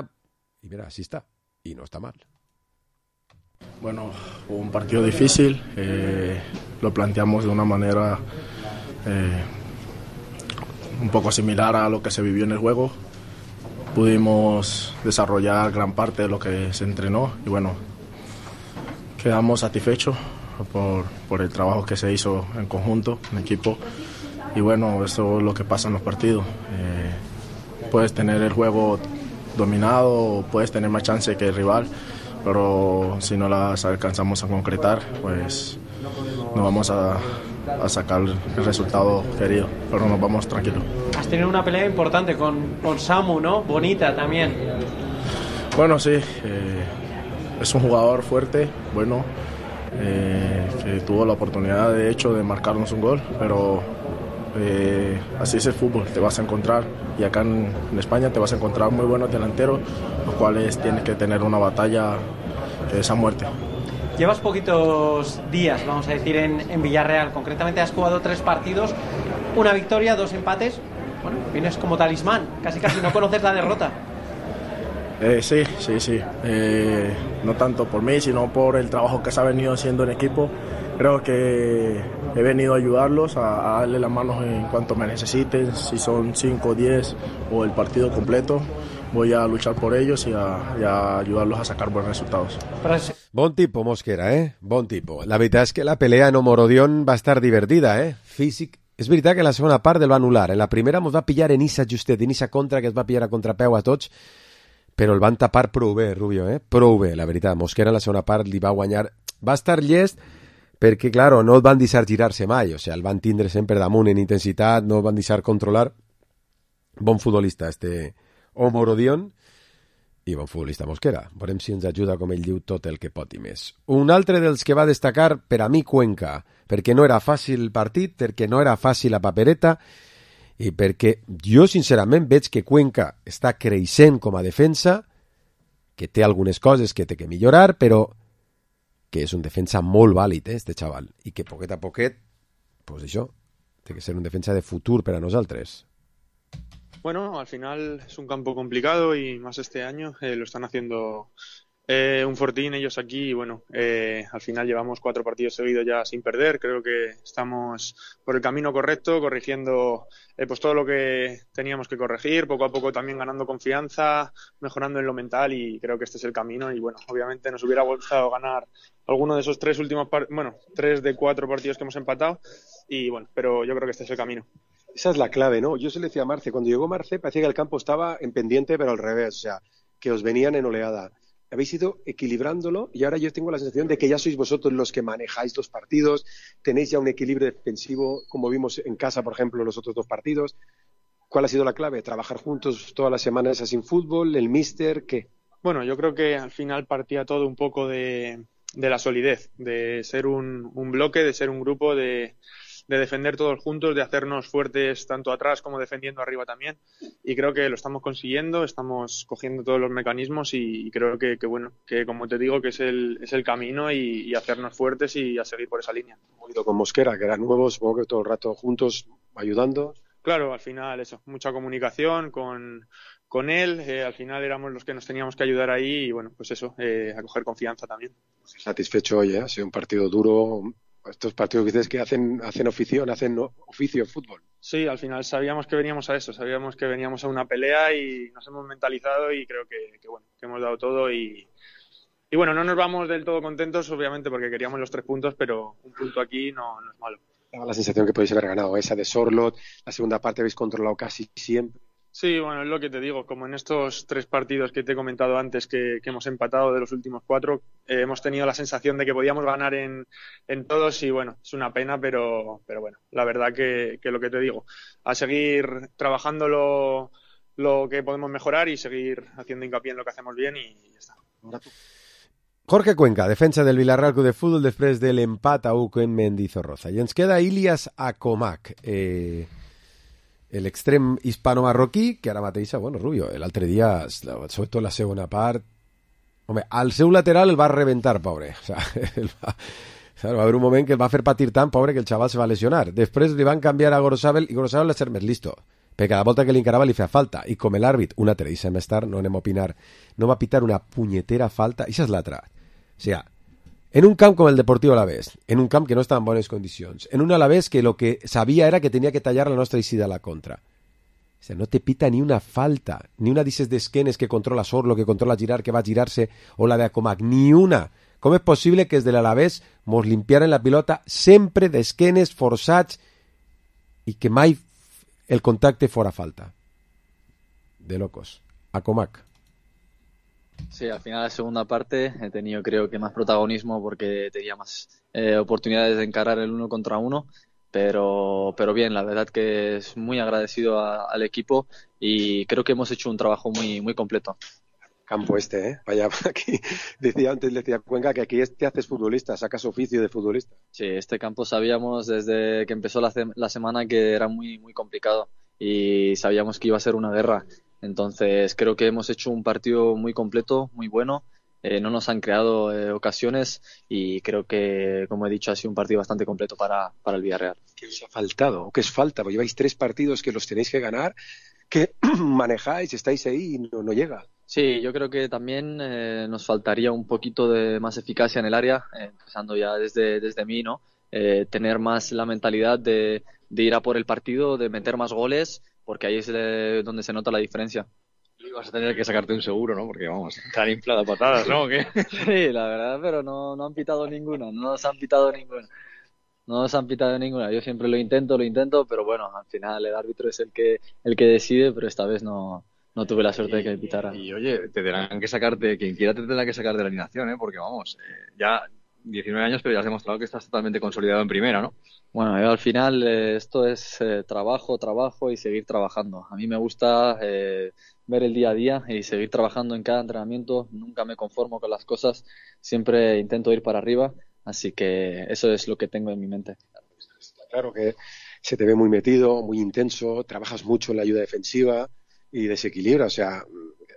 i mira, així està. I no està mal. Bueno, un partido difícil, eh, lo planteamos de una manera eh, un poco similar a lo que se vivió en el juego. Pudimos desarrollar gran parte de lo que se entrenó y bueno, quedamos satisfechos por, por el trabajo que se hizo en conjunto, en equipo y bueno, eso es lo que pasa en los partidos. Eh, puedes tener el juego dominado, puedes tener más chance que el rival, pero si no las alcanzamos a concretar, pues no vamos a, a sacar el resultado querido, pero nos vamos tranquilos. Has tenido una pelea importante con, con Samu, ¿no? Bonita también. Bueno, sí, eh, es un jugador fuerte, bueno, eh, que tuvo la oportunidad de hecho de marcarnos un gol, pero eh, así es el fútbol, te vas a encontrar, y acá en, en España te vas a encontrar muy buenos delanteros, los cuales tienes que tener una batalla que es a muerte. llevas poquitos días, vamos a decir, en, en Villarreal. Concretamente has jugado tres partidos, una victoria, dos empates. Bueno, vienes como talismán, casi casi no conoces la derrota. Eh, sí, sí, sí. Eh, no tanto por mí, sino por el trabajo que se ha venido haciendo en equipo. Creo que he venido a ayudarlos, a, a darle las manos en cuanto me necesiten, si son cinco, diez o el partido completo. Voy a luchar por ellos y a, y a ayudarlos a sacar buenos resultados. Bon tipo, Mosquera, eh? Bon tipo. La veritat és que la pelea en Omorodion va estar divertida, eh? Físic. És veritat que la segona part el va anul·lar. En la primera mos va pillar en Issa justet, en Issa contra, que es va pillar a contrapeu a tots, però el van tapar prou bé, Rubio, eh? Prou bé, la veritat. Mosquera en la segona part li va guanyar. Va estar llest perquè, claro, no el van deixar girar-se mai. O sigui, el van tindre sempre damunt en intensitat, no el van deixar controlar. Bon futbolista, este Omorodion, i bon futbolista Mosquera. Veurem si ens ajuda, com ell diu, tot el que pot i més. Un altre dels que va destacar, per a mi, Cuenca, perquè no era fàcil el partit, perquè no era fàcil la papereta, i perquè jo, sincerament, veig que Cuenca està creixent com a defensa, que té algunes coses que té que millorar, però que és un defensa molt vàlid, eh, este xaval, i que poquet a poquet, pues això, té que ser un defensa de futur per a nosaltres. Bueno, al final es un campo complicado y más este año eh, lo están haciendo eh, un fortín ellos aquí y bueno, eh, al final llevamos cuatro partidos seguidos ya sin perder. Creo que estamos por el camino correcto, corrigiendo eh, pues todo lo que teníamos que corregir, poco a poco también ganando confianza, mejorando en lo mental y creo que este es el camino y bueno, obviamente nos hubiera gustado ganar alguno de esos tres últimos, par- bueno, tres de cuatro partidos que hemos empatado y bueno, pero yo creo que este es el camino. Esa es la clave, ¿no? Yo se le decía a Marce, cuando llegó Marce parecía que el campo estaba en pendiente, pero al revés, o sea, que os venían en oleada. Habéis ido equilibrándolo y ahora yo tengo la sensación de que ya sois vosotros los que manejáis los partidos, tenéis ya un equilibrio defensivo, como vimos en casa, por ejemplo, los otros dos partidos. ¿Cuál ha sido la clave? ¿Trabajar juntos todas las semanas sin fútbol? ¿El míster? ¿Qué? Bueno, yo creo que al final partía todo un poco de, de la solidez, de ser un, un bloque, de ser un grupo, de... de defender todos juntos, de hacernos fuertes tanto atrás como defendiendo arriba también y creo que lo estamos consiguiendo, estamos cogiendo todos los mecanismos y, y creo que, que bueno, que como te digo que es el, es el camino y, y hacernos fuertes y a seguir por esa línea. Hemos ido con Mosquera, que era nuevo, supongo que todo el rato juntos, ayudando. Claro, al final eso, mucha comunicación con, con él, eh, al final éramos los que nos teníamos que ayudar ahí y bueno, pues eso, eh, a coger confianza también. Satisfecho hoy, ¿eh? Ha sido un partido duro. Estos partidos que dices que hacen, hacen oficio, hacen oficio en fútbol. Sí, al final sabíamos que veníamos a eso, sabíamos que veníamos a una pelea y nos hemos mentalizado y creo que, que bueno, que hemos dado todo y, y bueno, no nos vamos del todo contentos, obviamente, porque queríamos los tres puntos, pero un punto aquí no, no es malo. Daba la sensación que podéis haber ganado esa de Sorlot, la segunda parte habéis controlado casi siempre. Sí, bueno, es lo que te digo, como en estos tres partidos que te he comentado antes que, que hemos empatado de los últimos cuatro, eh, hemos tenido la sensación de que podíamos ganar en, en todos y bueno, es una pena, pero, pero bueno, la verdad que, que lo que te digo, a seguir trabajando lo, lo que podemos mejorar y seguir haciendo hincapié en lo que hacemos bien y ya está. Jorge Cuenca, defensa del Villarreal Club de Fútbol després de l'empat a u en Mendizorroza. I ens queda Ilias Akomak, eh... l'extrem hispano-marroquí, que ara mateix, bueno, Rubio, l'altre dia, sobretot la segona part, home, al seu lateral el va reventar, pobre. O sea, el va, va haver un moment que el va fer patir tant, pobre, que el xaval se va lesionar. Després li van canviar a Gorosabel, i Gorosabel va ser més listo, perquè cada volta que li encarava li feia falta, i com l'àrbit, una teresa més tard, no anem a opinar, no va pitar una punyetera falta, i això és l'altra. O sigui, en un camp com el Deportivo Alavés, en un camp que no estava en bones condicions, en un Alavés que lo que sabia era que tenia que tallar la nostra eixida a la contra. O sigui, no te pita ni una falta, ni una d'aquestes d'esquenes que controla Sorlo, que controla girar, que va a girar-se, o la de Akomak, ni una. Com és possible que des de l'Alavés mos limpiaren la pilota sempre d'esquenes forçats i que mai el contacte fora falta? De locos. Akomak. Sí, al final de la segunda parte he tenido creo que más protagonismo porque tenía más eh, oportunidades de encarar el uno contra uno, pero, pero bien, la verdad que es muy agradecido a, al equipo y creo que hemos hecho un trabajo muy, muy completo. Campo este, ¿eh? Vaya, aquí decía antes, decía Cuenca que aquí te haces futbolista, sacas oficio de futbolista. Sí, este campo sabíamos desde que empezó la, la semana que era muy, muy complicado y sabíamos que iba a ser una guerra. Entonces creo que hemos hecho un partido muy completo, muy bueno eh, no nos han creado eh, ocasiones y creo que, como he dicho, ha sido un partido bastante completo para, para el Villarreal. ¿Qué os ha faltado? ¿O qué os falta? Porque lleváis tres partidos que los tenéis que ganar, que manejáis, estáis ahí y no, no llega. Sí, yo creo que también eh, nos faltaría un poquito de más eficacia en el área, eh, empezando ya desde, desde mí, ¿no? Eh, tener más la mentalidad de, de ir a por el partido, de meter más goles, porque ahí es de, donde se nota la diferencia. Y vas a tener que sacarte un seguro, ¿no? Porque vamos, tan inflada patadas, ¿no? ¿O qué? Sí, la verdad, pero no, no han pitado ninguna, no nos han pitado ninguna. No nos han pitado ninguna. Yo siempre lo intento, lo intento, pero bueno, al final el árbitro es el que el que decide, pero esta vez no, no tuve la suerte y, de que me pitara. Y, y oye, te tendrán que sacarte, quien quiera te tendrá que sacar de la alineación, ¿eh? Porque vamos, eh, ya diecinueve años, pero ya has demostrado que estás totalmente consolidado en primera, ¿no? Bueno, yo al final eh, esto es eh, trabajo, trabajo y seguir trabajando. A mí me gusta eh, ver el día a día y seguir trabajando en cada entrenamiento. Nunca me conformo con las cosas, siempre intento ir para arriba, así que eso es lo que tengo en mi mente. Claro que se te ve muy metido, muy intenso, trabajas mucho en la ayuda defensiva y desequilibra. O sea,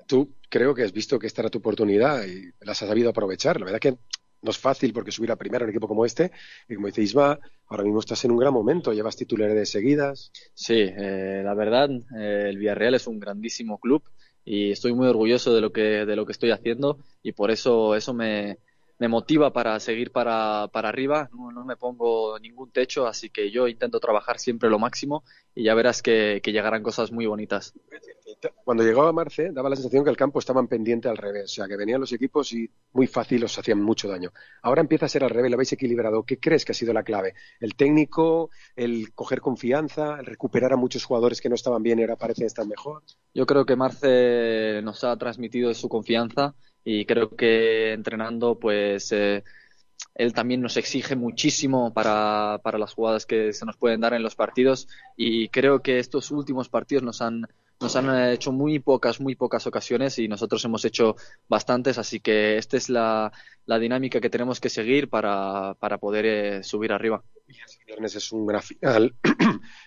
tú creo que has visto que esta era tu oportunidad y las has sabido aprovechar. La verdad que no es fácil porque subir a primera a un equipo como este, y como dice Isma, ahora mismo estás en un gran momento, llevas titularidades seguidas. Sí, eh, la verdad, eh, el Villarreal es un grandísimo club y estoy muy orgulloso de lo que de lo que estoy haciendo y por eso eso me, me motiva para seguir para, para arriba. No, no me pongo ningún techo, así que yo intento trabajar siempre lo máximo y ya verás que, que llegarán cosas muy bonitas. Cuando llegaba Marce, daba la sensación que el campo estaban pendiente al revés, o sea, que venían los equipos y muy fácil os hacían mucho daño. Ahora empieza a ser al revés, lo habéis equilibrado. ¿Qué crees que ha sido la clave? ¿El técnico, el coger confianza, el recuperar a muchos jugadores que no estaban bien y ahora parecen estar mejor? Yo creo que Marce nos ha transmitido su confianza y creo que entrenando, pues eh, él también nos exige muchísimo para, para las jugadas que se nos pueden dar en los partidos y creo que estos últimos partidos nos han Nos han hecho muy pocas, muy pocas ocasiones y nosotros hemos hecho bastantes, así que esta es la, la dinámica que tenemos que seguir para, para poder eh, subir arriba. El viernes es un gran final.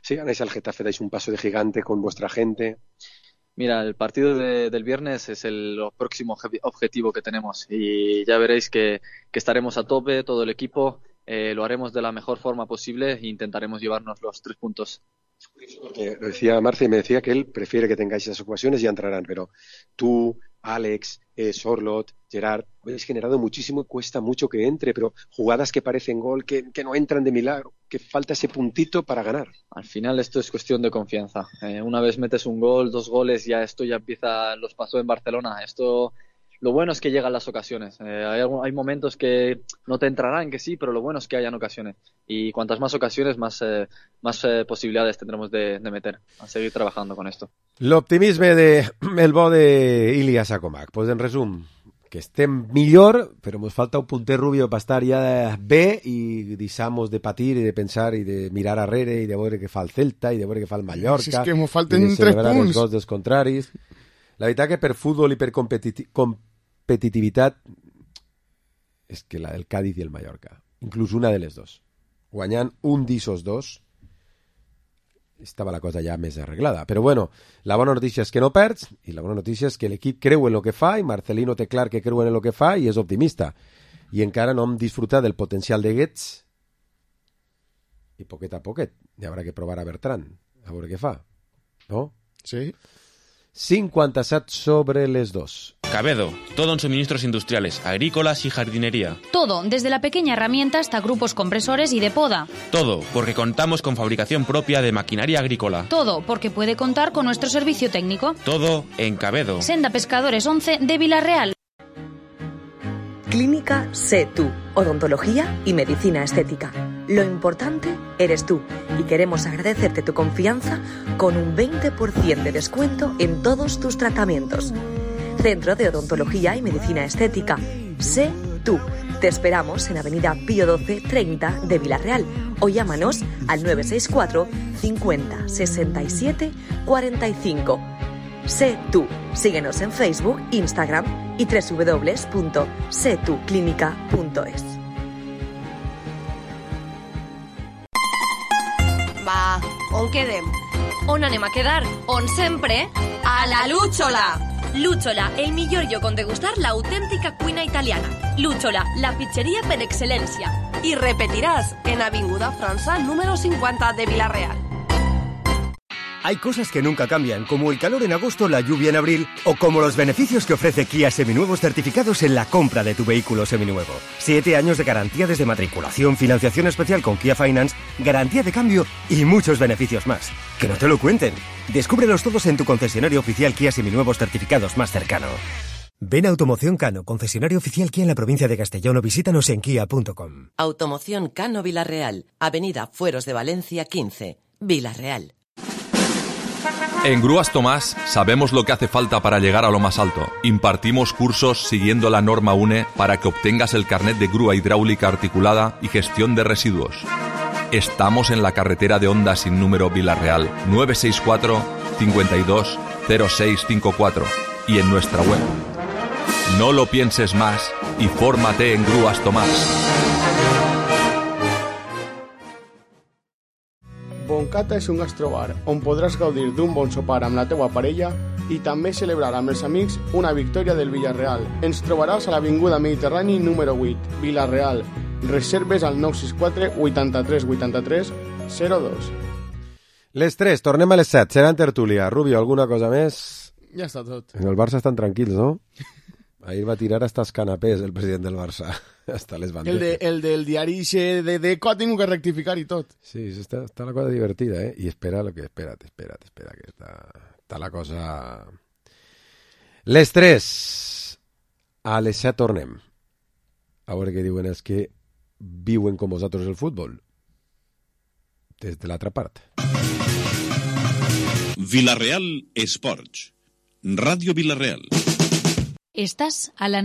Si ganáis al Getafe, dais un paso de gigante con vuestra gente. Mira, el partido de, del viernes es el próximo objetivo que tenemos y ya veréis que, que estaremos a tope, todo el equipo, eh, lo haremos de la mejor forma posible e intentaremos llevarnos los tres puntos. Porque lo decía Marce y me decía que él prefiere que tengáis esas ocasiones y ya entrarán, pero tú, Alex, eh, Sorlot, Gerard, habéis generado muchísimo y cuesta mucho que entre, pero jugadas que parecen gol, que, que no entran de milagro, que falta ese puntito para ganar. Al final esto es cuestión de confianza. Eh, una vez metes un gol, dos goles, ya esto ya empieza, los pasó en Barcelona. Esto, lo bueno es que llegan las ocasiones. Eh, hay, hay momentos que no te entrarán, que sí, pero lo bueno es que hayan ocasiones. Y cuantas más ocasiones, más, eh, más eh, possibilitats tendremos de, de meter. A seguir trabajando con esto. L'optimisme de el bo de Ilya Sakomak. Pues en resum, que estem millor, però ens falta un punter rubio per estar ja bé i deixamos de patir i de pensar i de mirar arrere i de veure què fa el Celta i de veure què fa el Mallorca. Si és que ens falten i de tres celebrar punts. els gols dels contraris. La veritat que per futbol i per competi competitivitat és que la del Cádiz i el Mallorca, inclús una de les dos, guanyant un d'ixos dos, estava la cosa ja més arreglada. Però bueno, la bona notícia és que no perds i la bona notícia és que l'equip creu en el que fa i Marcelino té clar que creu en el que fa i és optimista. I encara no hem disfrutat del potencial de Guedes i poquet a poquet. Hi haurà que provar a Bertran, a veure què fa. ¿No? Sí. cincuenta-set sobre les dos. Cabedo, todo en suministros industriales, agrícolas y jardinería. Todo, desde la pequeña herramienta hasta grupos compresores y de poda. Todo, porque contamos con fabricación propia de maquinaria agrícola. Todo, porque puede contar con nuestro servicio técnico. Todo en Cabedo. Senda Pescadores once de Villarreal. Clínica Sé Tú, odontología y medicina estética. Lo importante eres tú y queremos agradecerte tu confianza con un veinte por ciento de descuento en todos tus tratamientos. Centro de Odontología y Medicina Estética. Sé Tú. Te esperamos en Avenida Pío doce treinta de Villarreal o llámanos al nueve seis cuatro cincuenta sesenta y siete cuarenta y cinco. Sé Tú. Síguenos en Facebook, Instagram y doble u doble u doble u punto sé tú clínica punto es. Va, on quedem? On anem a quedar? On sempre? A la Lúchola! Luchola, el millor lloc on degustar l'autèntica cuina italiana. Luchola, la pizzeria per excel·lència. Y repetirás en Avinguda França número cincuenta de Villarreal. Hay cosas que nunca cambian, como el calor en agosto, la lluvia en abril, o como los beneficios que ofrece Kia Seminuevos certificados en la compra de tu vehículo seminuevo. Siete años de garantía desde matriculación, financiación especial con Kia Finance, garantía de cambio y muchos beneficios más. ¡Que no te lo cuenten! Descúbrelos todos en tu concesionario oficial Kia Seminuevos certificados más cercano. Ven a Automoción Cano, concesionario oficial Kia en la provincia de Castellón, o visítanos en kia punto com. Automoción Cano Villarreal, Avenida Fueros de Valencia quince, Villarreal. En Grúas Tomás sabemos lo que hace falta para llegar a lo más alto. Impartimos cursos siguiendo la norma U N E para que obtengas el carnet de grúa hidráulica articulada y gestión de residuos. Estamos en la carretera de Honda sin número Villarreal, nueve seis cuatro, cinco dos, cero seis cinco cuatro, y en nuestra web. No lo pienses más y fórmate en Grúas Tomás. Boncata és un gastrobar on podràs gaudir d'un bon sopar amb la teua parella i també celebrar amb els amics una victòria del Villarreal. Ens trobaràs a l'Avinguda Mediterrani número vuit, Villarreal. Reserves al nou sis quatre, vuitanta-tres, vuitanta-tres, zero dos. Les tres, tornem a les set. Serà en tertúlia. Rubio, alguna cosa més? Ja està tot. En el Barça estan tranquils, no? Ahir va tirar hasta els canapés el president del Barça. Hasta les banderes. El, de, el del diari de Deco ha tingut que rectificar i tot. Sí, està, està la cosa divertida, eh? I espera lo que... Espera't, espera't, espera, que està, està la cosa... Les tres. A les set tornem. A veure què diuen els que viuen com vosaltres el futbol. Des de l'altra part. Villarreal Esports. Ràdio Villarreal. Estás a la